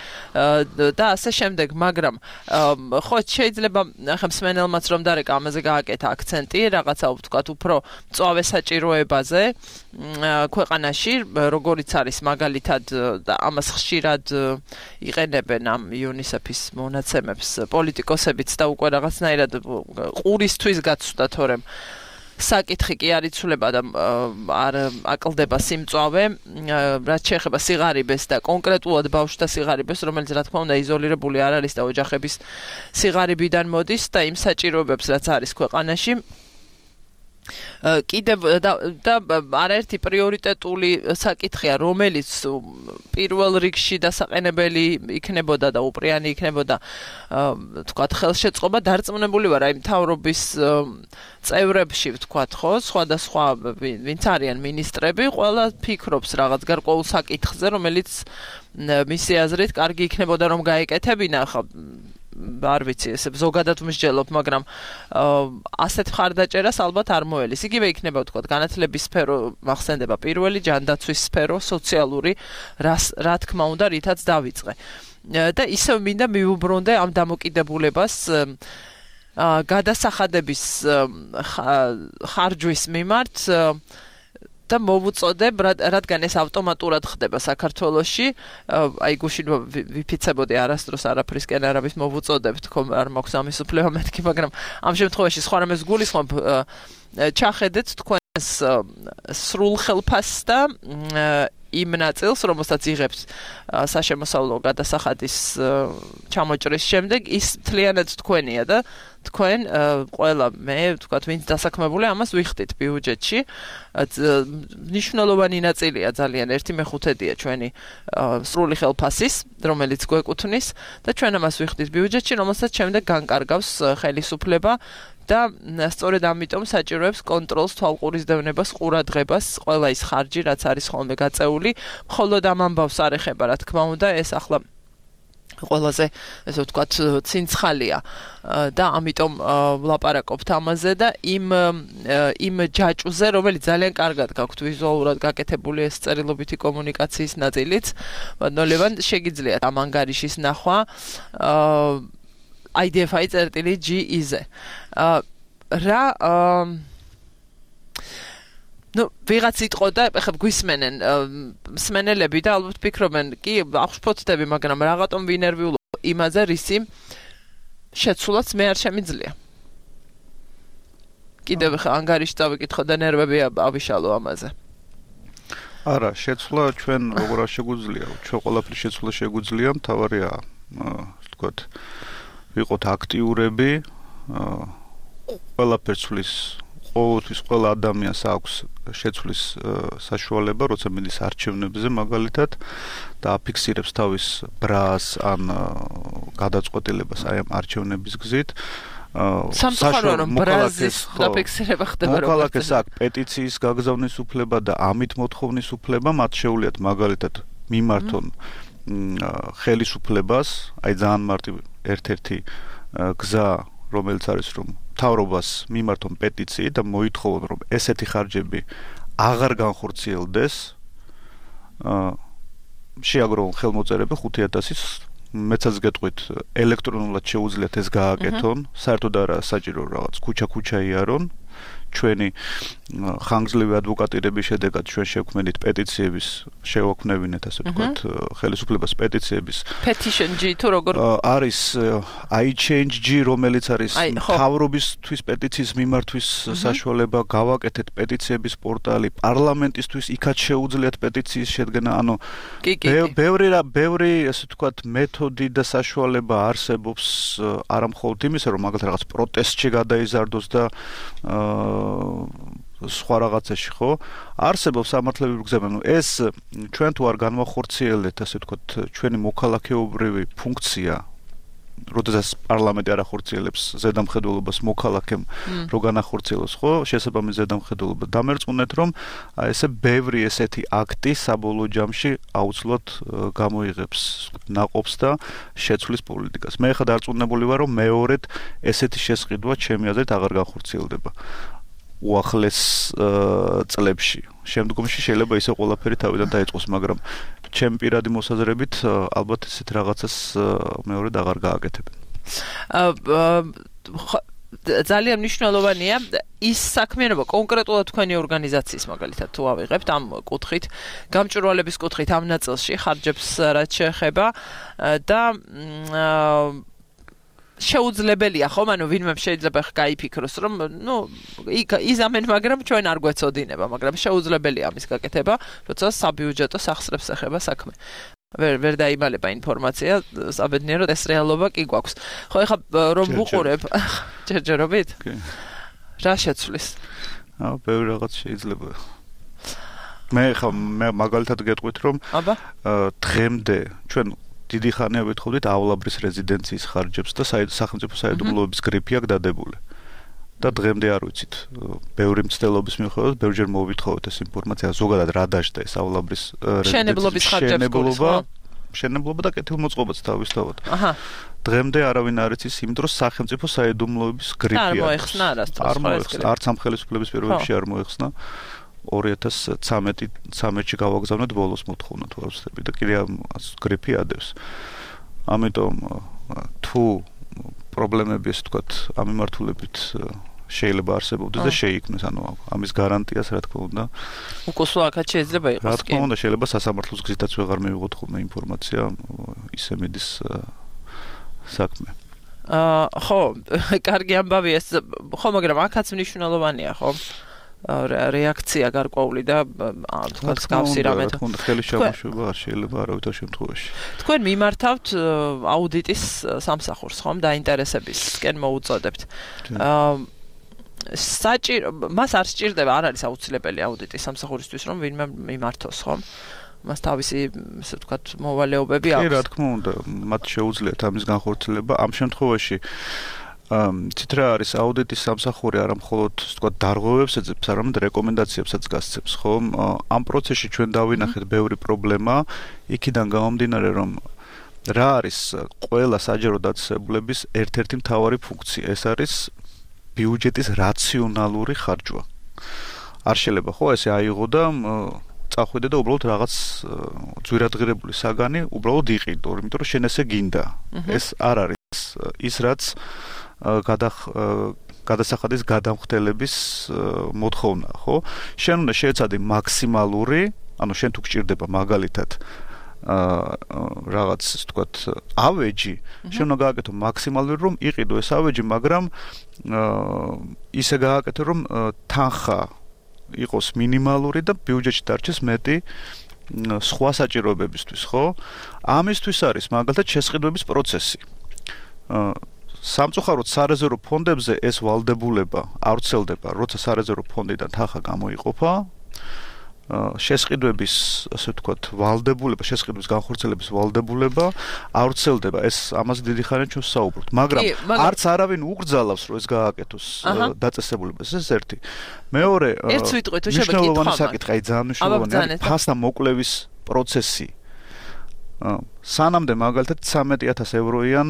და ასე შემდეგ მაგრამ ხო შეიძლება ახლა მსმენელმაც რომ დარეკა ამაზე გააკეთა აქცენტი რაღაცა ვთქვათ უფრო მწვავე საჭიროებაზე ქვეყანაში როგორიც არის მაგალითად და ამას ხშირად იყენებენ ამ იუნისეფის მონაცემებს პოლიტიკოსებიც და უკვე რაღაცნაირად ყურისთვის გაცვდა თორემ საკითხი კი არ იცვლება და არ აკლდება სიმწვავე რაც შეეხება სიღარიბეს და კონკრეტულად ბავშვთა სიღარიბეს რომელიც რა თქმა უნდა იზოლირებული არ არის და ოჯახების სიღარიბიდან მოდის და იმ საჭიროებებს რაც არის ქვეყანაში კიდევ და არაერთი პრიორიტეტული საკითხია რომელიც პირველ რიგში დასაყენებელი იქნებოდა და უპრიანი იქნებოდა ვთქვათ ხელშეწყობა დარწმუნებული ვარ აი მთავრობის წევრებში ვთქვათ ხო სხვადასხვა ვინც არიან მინისტრები ყველა ფიქრობს რაღაც გარკვეულ საკითხზე რომელიც მისი აზრით კარგი იქნებოდა რომ გაეკეთებინა ხა არ ვიცი ესე ზოგადად მსჯელობ მაგრამ ასეთ მხარდაჭერას ალბათ არ მოელის იგივე იქნება ვთქვათ განათლების სფერო მახსენდება პირველი ჯანდაცვის სფერო სოციალური რა თქმა უნდა რითაც დავიწყე და ისევ მინდა მივუბრუნდე ამ დამოკიდებულებას გადასახადების ხარჯვის მიმართ და მოვუწოდებ რადგან ეს ავტომატურად ხდება საქართველოში აი გუშინ ვიფიცებოდი არასდროს არაფრისკენ არ არის მოვუწოდებ თქო არ მაქვს ამის უფლება მეთქი მაგრამ ამ შემთხვევაში სხვა რამეს გულისხმობ ჩახედეთ თქვენს სრულ ხელფასს და იმ ნაწილს რომელსაც იღებს საშემოსავლო გადასახადის ჩამოჭრის შემდეგ ის მთლიანად თქვენია და თქვენ ყველა მე ვთქვათ ვინც დასაქმებული ამას ვიხდით ბიუჯეტში მნიშვნელოვანი ნაწილია ძალიან ერთი მეხუთედია ჩვენი სრული ხელფასის რომელიც გვეკუთვნის და ჩვენ ამას ვიხდით ბიუჯეტში რომელსაც შემდეგ განკარგავს ხელისუფლება და სწორედ ამიტომ საჭიროებს კონტროლს, თვალყურისდევნებას, ყურადღებას, ყველა ის ხარჯი, რაც არის ხოლმე გაწეული, მხოლოდ ამ ამბავს არ ეხება, რა თქმა უნდა, ეს ახლა ყველაზე ესე ვთქვათ ცინცხალია და ამიტომ ვლაპარაკობთ ამაზე და იმ იმ ჯაჭვზე, რომელიც ძალიან კარგად გაქვთ ვიზუალურად გაკეთებული ეს წერილობითი კომუნიკაციის ნაწილიც, ნოლევან შეგიძლიათ ამ ანგარიშის ნახვა I D F I წერტილი G I-ზე. რა ну ვიღაც იტყოდა, ეხლა გვისმენენ მსმენელები და ალბათ ფიქრობენ, კი, აღშფოთდები, მაგრამ რაღაცომ ვინერვიულობ იმაზე, რისი შეცვლაც მე არ შემიძლია. კიდევ ხა ანგარიში წავიკითხო და ნერვები ავიშალო ამაზე. არა, შეცვლა ჩვენ როგორ არ შეგვიძლია, ჩვენ ყველაფრის შეცვლა შეგვიძლია, მთავარია, ვთქვათ, ვიყოთ აქტიურები, ყველაფერს ცვლის, ყოველთვის ყველა ადამიანს აქვს შეცვლის საშუალება, როცა მიდის არჩევნებზე მაგალითად და აფიქსირებს თავის ბრას ან გადაწყვეტილებას აი ამ არჩევნების გზით. სამწუხაროდ რომ ბრაზის დაფიქსირება ხდება როგორ მოქალაქეს აქვს პეტიციის გაგზავნის უფლება და ამით მოთხოვნის უფლება, მათ შეუძლიათ მაგალითად მიმართონ ხელისუფლებას, აი ძალიან მარტივი ერთ-ერთი გზა რომელიც არის რომ მთავრობას მიმართონ პეტიციით და მოითხოვონ რომ ესეთი ხარჯები აღარ განხორციელდეს, შეაგროვონ ხელმოწერები ხუთი ათასის მეცაც გეტყვით ელექტრონულად შეუძლიათ ეს გააკეთონ, საერთოდ არა საჭირო რაღაც ქუჩა-ქუჩა იარონ, ჩვენი ხანგრძლივი ადვოკატირების შედეგად ჩვენ შევქმნით პეტიციების შევაქმნევინეთ ასე ვთქვათ ხელისუფლებას პეტიციების petition G თუ როგორ არის I change G რომელიც არის მთავრობისთვის პეტიციის მიმართვის საშუალება გავაკეთეთ პეტიციების პორტალი პარლამენტისთვის იქაც შეუძლიათ პეტიციის შედგენა ანუ ბევრი ბევრი ასე ვთქვათ მეთოდი და საშუალება არსებობს არა მხოლოდ იმისა რომ მაგალითად რაღაც პროტესტში გადაიზარდოს და სხვა რაღაცაში ხო არსებობს სამართლებრივი გზები ნუ ეს ჩვენ თუ არ განვახორციელეთ ასე ვთქვათ ჩვენი მოქალაქეობრივი ფუნქცია როდესაც პარლამენტი არ ახორციელებს ზედამხედველობას მოქალაქემ რო განახორციელოს ხო შესაბამის ზედამხედველობა დამერწმუნეთ რომ ესე ბევრი ესეთი აქტი საბოლოო ჯამში აუცილებლად გამოიღებს ნაყოფს და შეცვლის პოლიტიკას მე ხა დარწმუნებული ვარ რომ მეორედ ესეთი შესყიდვა ჩემი აზრით აღარ განხორციელდება უახლეს წლებში შემდგომში შეიძლება ისე ყველაფერი თავიდან დაიწყოს მაგრამ ჩემ პირადი მოსაზრებით ალბათ ესეთ რაღაცას მეორედ აღარ გააკეთებენ ძალიან მნიშვნელოვანია ის საქმიანობა კონკრეტულად თქვენი ორგანიზაციის მაგალითად თუ ავიღებთ ამ კუთხით გამჭვირვალების კუთხით ამ ნაწილში ხარჯებს რაც შეეხება და შეუძლებელია ხომ ანუ ვინმე შეიძლება გაიფიქროს რომ ნუ იზამენ მაგრამ ჩვენ არ გვეცოდინება მაგრამ შეუძლებელია ამის გაკეთება როცა საბიუჯეტო სახსრებს ეხება საქმე ვერ ვერ დაიმალება ინფორმაცია საბედნიეროდ ეს რეალობა კი გვაქვს ხო ეხლა რომ ვუყურებ ჯერჯერობით რა შეცვლის აა ბევრი რაღაც შეიძლება მე ხა მე მაგალითად გეტყვით რომ დღემდე ჩვენ დიდი ხანია ვითხოვდითავლაბრის რეზიდენციის ხარჯებს და სახელმწიფო საიდუმლოების გრიფი აქვს დადებული. და დღემდე არ ვიცით. ბევრი მცდელობის მიუხედავად ბევრჯერ მოვითხოვეთ ეს ინფორმაცია ზოგადად რა დაждდა ესავლაბრის შენებლობის ხარჯებს გულისხმობა შენებლობა და კეთილმოწყობაც თავისთავად. აჰა. დღემდე არავინ არ იცის იმ დროს სახელმწიფო საიდუმლოების გრიფი აქვს. არ მოეხსნა არასდროს. არ მოეხსნა, არც ამ ხელისუფლების პირობებში არ მოეხსნა. ორი ათას ცხრამეტში გავაგზავნეთ ბოლოს მოთხოვნა თუ არ ვცდები და კიდე ამ გრიფი ადევს. ამიტომ თუ პრობლემები ეს ვთქვათ ამ მიმართულებით შეიძლება არსებობდეს და შეიქმნეს ანუ ამის გარანტიას რა თქმა უნდა უკოსო აქაც შეიძლება იყოს რა თქმა უნდა შეიძლება სასამართლოს გზითაც ვეღარ მივიღოთ ხოლმე ინფორმაცია ისე მიდის საქმე აა ხო კარგი ამბავია ეს ხო მაგრამ აქაც მნიშვნელოვანია ხო რეაქცია გარკვეული და თქვა სკავსი რამე რა თქმა უნდა ხელი შემოშვება არ შეიძლება არავითარ შემთხვევაში თქვენ მიმართავთ აუდიტის სამსახურს ხომ დაინტერესებისკენ მოუწოდებთ აა საჭირო მას არ სჭირდება არ არის აუცილებელი აუდიტის სამსახურისთვის რომ ვინმე მიმართოს ხომ მას თავისი ესე ვთქვათ მოვალეობები აქვს კი რა თქმა უნდა მათ შეუძლიათ ამის განხორციელება ამ შემთხვევაში ცით რა არის აუდიტის სამსახური არა მხოლოდ ვთქვათ დარღვევებს ეძებს არამედ რეკომენდაციებსაც გასცემს ხომ ამ პროცესში ჩვენ დავინახეთ ბევრი პრობლემა იქიდან გამომდინარე რომ რა არის ყველა საჯარო დაწესებულების ერთ-ერთი მთავარი ფუნქცია ეს არის ბიუჯეტის რაციონალური ხარჯვა არ შეიძლება ხო ესე აიღო და წახვიდე და უბრალოდ რაღაც ძვირადღირებული საგანი უბრალოდ იყიდო იმიტომ რომ შენ ესე გინდა ეს არ არის ის რაც გადახ გადასახადის გადამხდელების მოთხოვნა, ხო? შენ უნდა შეეცადე მაქსიმალური, ანუ შენ თუ გჭირდება მაგალითად აა რაღაც, ვთქვათ, ავეჯი, შენ უნდა გააკეთო მაქსიმალური, რომ იყიდო ეს ავეჯი, მაგრამ აა ისე გააკეთო, რომ თანხა იყოს მინიმალური და ბიუჯეტში დარჩეს მეტი სხვა საჭიროებებისთვის, ხო? ამისთვის არის მაგალითად შესყიდვების პროცესი. აა სამწუხაროდ სარეზერვო ფონდებზე ეს ვალდებულება არ ვრცელდება, როცა სარეზერვო ფონდიდან თანხა გამოიყოფა. შესყიდვების, ასე ვთქვათ, ვალდებულება, შესყიდვის განხორციელების ვალდებულება არ ვრცელდება. ეს ამაზე დიდი ხანია ჩვენ საუბრობთ, მაგრამ არც არავინ უგრძალავს, რომ ეს გააკეთოს დაწესებულებას. ეს ერთი. მეორე, მნიშვნელოვანი საკითხი, აი ძალიან მნიშვნელოვანია, ფასთა მოკლევის პროცესი. სანამდე მაგალითად ცხრამეტი ათას ევროიან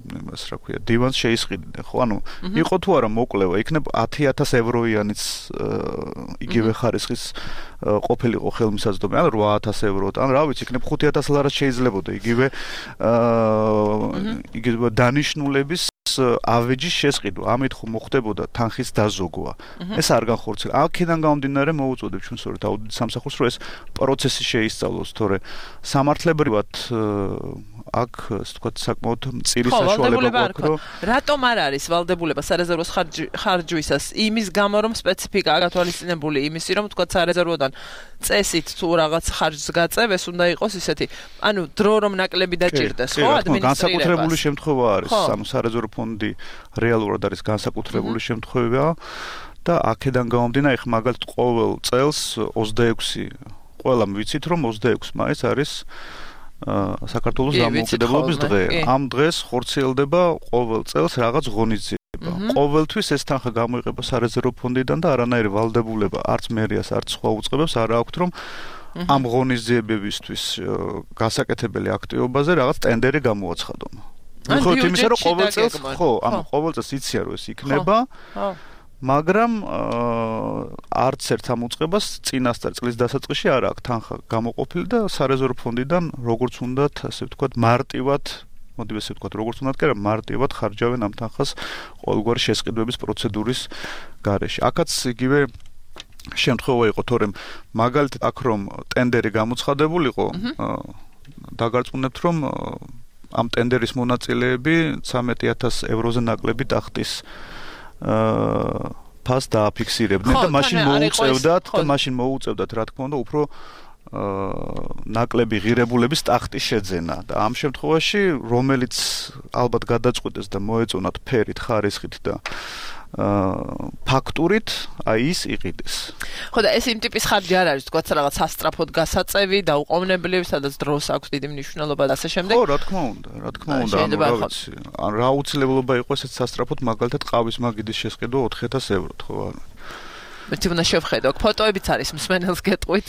იმას რა ქვია დივანს შეისყიდნენ ხო ანუ იყო თუ არა მოკლევა იქნებ ათი ათას ევროიანიც იგივე ხარისხის ყოფილიყო ხელმისაწვდომი ან რვა ათას ევროთ ან რა ვიცი იქნებ ხუთი ათას ლარად შეიძლებოდა იგივე იგივე დანიშნულების ავეჯის შესყიდვა, ამით ხო მოხდებოდა თანხის დაზოგვა. ეს არ განხორციელდა. აქედან გამომდინარე მოუწოდებ ჩვენ სწორედ აუდიტ სამსახურს, რომ ეს პროცესი შეისწავლოს, თორე სამართლებრივად აქ ასე ვთქვათ საკმაოდ მწირი საშუალება გვაქვს, რომ რატომ არ არის ვალდებულება სარეზერვოს ხარჯვისას იმის გამო, რომ სპეციფიკაა გათვალისწინებული იმისი, რომ ვთქვათ სარეზერვოდან წესით თუ რაღაც ხარჯს გაწევეს, უნდა იყოს ისეთი, ანუ დრო რომ ნაკლები დაჭირდეს, ხო, ადმინისტრირებას. განსაკუთრებული შემთხვევა არის, ანუ სარეზერვო ფონდი რეალურად არის განსაკუთრებული შემთხვევა და აქედან გამომდინარე, ხ მაგალითად ყოველ წელს ოცდაექვსი ყველამ ვიცით, რომ ოცდაექვსი მაისს არის საქართველოს დამოუკიდებლობის დღე. ამ დღეს ხორციელდება ყოველ წელს რაღაც ღონისძიება. ყოველთვის ეს თანხა გამოიყება სარეზერვო ფონდიდან და არანაირი ვალდებულება არც მერიას, არც სხვა უწყებებს არ აქვთ, რომ ამ ღონისძიებებისთვის გასაკეთებელი აქტივობაზე რაღაც ტენდერი გამოაცხადონ. ხო, თუმცა რომ ყოველ წელს, ხო, ანუ ყოველ წელს იციან რომ ეს იქნება. მაგრამ არც ერთ ამ უწყებას წინასწარ წლის დასაწყისში არ აქვს თანხა გამოყოფილი და სარეზერვო ფონდიდან როგორც უნდათ, ასე ვთქვათ, მარტივად, მოდი ასე ვთქვათ, როგორც უნდათ, კი არა, მარტივად ხარჯავენ ამ თანხას ყოველგვარი შესყიდვების პროცედურის გარეშე. აქაც იგივე შემთხვევა იყო, თორემ მაგალითად აქ რომ ტენდერი გამოცხადებულიყო, დაგარწმუნებთ, რომ ამ ტენდერის მონაწილეები ცამეტი ათასი ევროზე ნაკლები ტახტის აა ფას დააფიქსირებდნენ და მაშინ მოუწევდათ და მაშინ მოუწევდათ რა თქმა უნდა უფრო აა ნაკლები ღირებულების ტახტის შეძენა და ამ შემთხვევაში რომელიც ალბათ გადაწყვეტეს და მოეწონათ ფერით, ხარისხით და აა ფაქტურით აი ის იყიდეს. ხო და ეს იმ ტიპის ხარჯი არ არის, თქვათ რაღაც სასტრაფოდ გასაწევი და უყოვნებლივ, სადაც დროს აქვს დიდი მნიშვნელობა და ასე შემდეგ. ხო, რა თქმა უნდა, რა თქმა უნდა, ანუ რა ვიცი, ან რა აუცილებლობა იყო ესეც სასტრაფოდ, მაგალითად ყავის მაგიდის შესყიდვა ოთხი ათასი ევროთ, ხო არა. მე თვითონ შევხედო, ფოტოებიც არის მსმენელს გეტყვით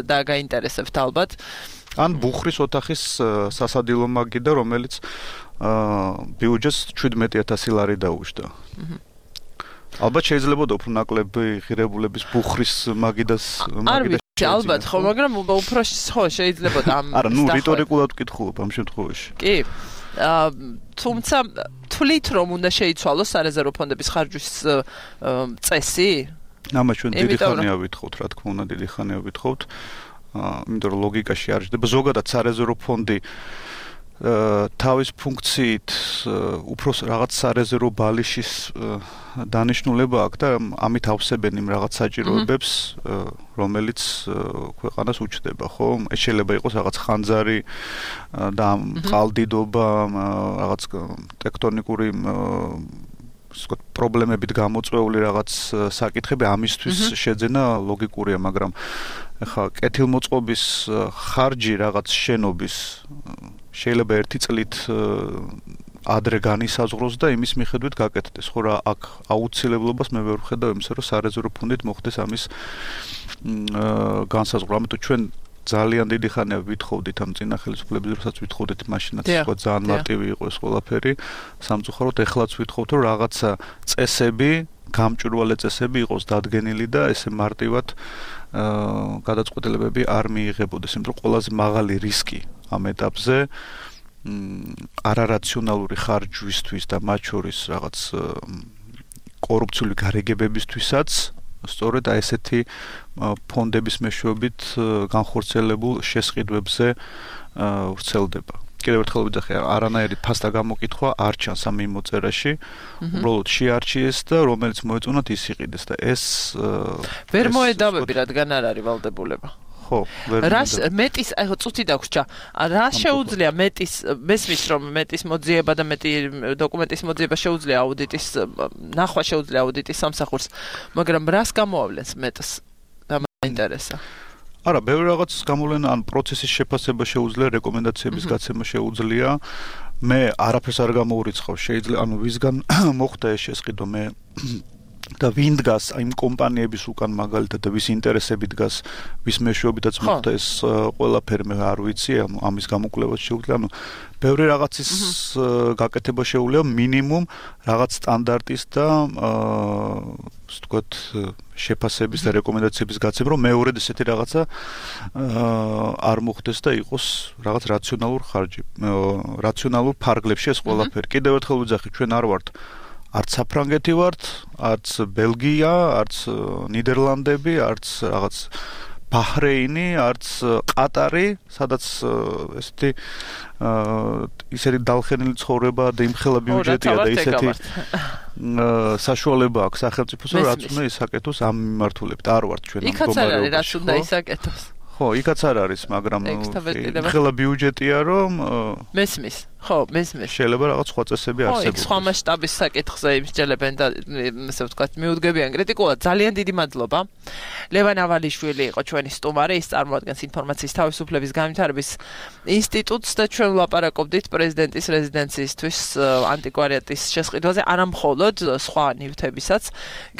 და გაინტერესებთ ალბათ. ან ბუხრის ოთახის სასადილო მაგიდა, რომელიც აა ბიუჯეტს შვიდმეტი ათასი ლარი დაუშვდა. აჰა. ალბათ შეიძლება უფრო ნაკლები ღირებულების ბუხრის მაგიდას მაგიდას ალბათ ხო, მაგრამ უფრო ხო შეიძლება ამ არა, ნუ რიტორიკულად ვკითხულობ ამ შემთხვევაში. კი. აა თუმცა თვლით რომ უნდა შეიცვალოს სარეზერვო ფონდების ხარჯვის წესი? ამა ჩვენ დიდი ხანია ვითხოვთ, რა თქმა უნდა, დიდი ხანია ვითხოვთ. აა იმიტომ რომ ლოგიკაში არ ჯდება ზოგადად სარეზერვო ფონდი თავის ფუნქციით უფრო რაღაც სარეზერვო ბალიშის დანიშნულება აქვს და ამით ავსებენ იმ რაღაც საჭიროებებს, რომელიც ქვეყანას უჩნდება, ხო? ეს შეიძლება იყოს რაღაც ხანძარი და ყალდიდობა, რაღაც ტექტონიკური ვთქვათ, პრობლემებით გამოწვეული რაღაც საკითხები, ამისთვის შეძენა ლოგიკურია, მაგრამ ეხლა კეთილმოწყობის ხარჯი რაღაც შენობის შეიძლება ერთი წლით ადრე განისაზღვროს და იმის მიხედვით გაკეთდეს. ხო რა, აქ აუცილებლობას მე ვერ ვხედავ იმისა, რომ სარეზერვო ფონდით მოხდეს ამის განსაზღვრა. ამიტომ ჩვენ ძალიან დიდი ხანია ვითხოვდით ამ წინა ხელისუფლების დროსაც ვითხოვდით მაშინაც სხვა ძალიან მარტივი იყო ეს ყველაფერი. სამწუხაროდ ეხლაც ვითხოვთ, რომ რაღაცა წესები, გამჭვირვალე წესები იყოს დადგენილი და ესე მარტივად აა გადაწყვეტილებები არ მიიღებოდეს, იმიტომ რომ ყველაზე მაღალი რისკი ამ ეტაპზე არარაციონალური ხარჯვისთვის და მათ შორის რაღაც კორუფციული გარიგებებისთვისაც სწორედ აი ესეთი ფონდების მეშვეობით განხორციელებულ შესყიდვებზე ვრცელდება. კიდევ ერთხელ ვიძახე, არანაირი ფასტა გამოკითხვა არ ჩანს ამ მიმოწერაში. უბრალოდ შეარჩიეს და რომელიც მოეწონათ ის იყიდეს და ეს ვერ მოედავები, რადგან არ არის ვალდებულება. ხო, ვერ რას მეტის, აი ხო წუთი დაგვრჩა. რა შეუძლია მეტის, მესმის რომ მეტის მოძიება და მეტი დოკუმენტის მოძიება შეუძლია აუდიტის, ნახვა შეუძლია აუდიტის სამსახურს, მაგრამ რას გამოავლენს მეტს? და მაინტერესა. არა, ბევრი რაღაც გამოვლენა, ან პროცესის შეფასება შეუძლია, რეკომენდაციების გაცემა შეუძლია. მე არაფერს არ გამოურიცხავ, შეიძლება, ანუ ვისგან მოხდა ეს შესყიდვა, მე და ვინ დგას იმ კომპანიების უკან მაგალითად და ვის ინტერესები დგას, ვის მეშვეობითაც მოხდა ეს ყველაფერი მე არ ვიცი, ამის გამოკვლევაც შეუძლია, ანუ ბევრი რაღაცის გაკეთება შეუძლია მინიმუმ რაღაც სტანდარტის და ასე ვთქვათ, შეფასების და რეკომენდაციების გაცემა, რომ მეორედ ესეთი რაღაცა არ მოხდეს და იყოს რაღაც რაციონალურ ხარჯი, რაციონალურ ფარგლებში ეს ყველაფერი. კიდევ ერთხელ ვიძახი, ჩვენ არ ვართ არც საფრანგეთი ვართ, არც ბელგია, არც ნიდერლანდები, არც რაღაც ბაჰრეინი, არც ყატარი, სადაც ესეთი ისეთი დალხენილი ცხოვრება და იმხელა ბიუჯეტია და ისეთი საშუალება აქვს სახელმწიფოს, რაც უნდა ისაკეთოს ამ მიმართულებით. არ ვართ ჩვენ ამ მდგომარეობაში. იქაც არ არის, რაც უნდა ისაკეთოს. ხო, იქაც არ არის, მაგრამ იმხელა ბიუჯეტია, რომ მესმის. ხო, მესმის. შეიძლება რაღაც სხვა წესები არსებობდეს. ხო, იქ სხვა მასშტაბის საკითხზე იმსჯელებენ და ასე ვთქვათ, მიუდგებიან კრიტიკულად. ძალიან დიდი მადლობა. ლევან ავალიშვილი იყო ჩვენი სტუმარი, ის წარმოადგენს ინფორმაციის თავისუფლების განვითარების ინსტიტუტს და ჩვენ ვლაპარაკობდით პრეზიდენტის რეზიდენციისთვის ანტიკვარიატის შესყიდვაზე, არა მხოლოდ სხვა ნივთებისაც,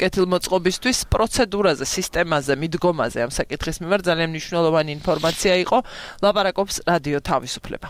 კეთილმოწყობისთვის, პროცედურაზე, სისტემაზე, მიდგომაზე ამ საკითხის მიმართ ძალიან მნიშვნელოვანი ინფორმაცია იყო. ლაპარაკობს რადიო თავისუფლება.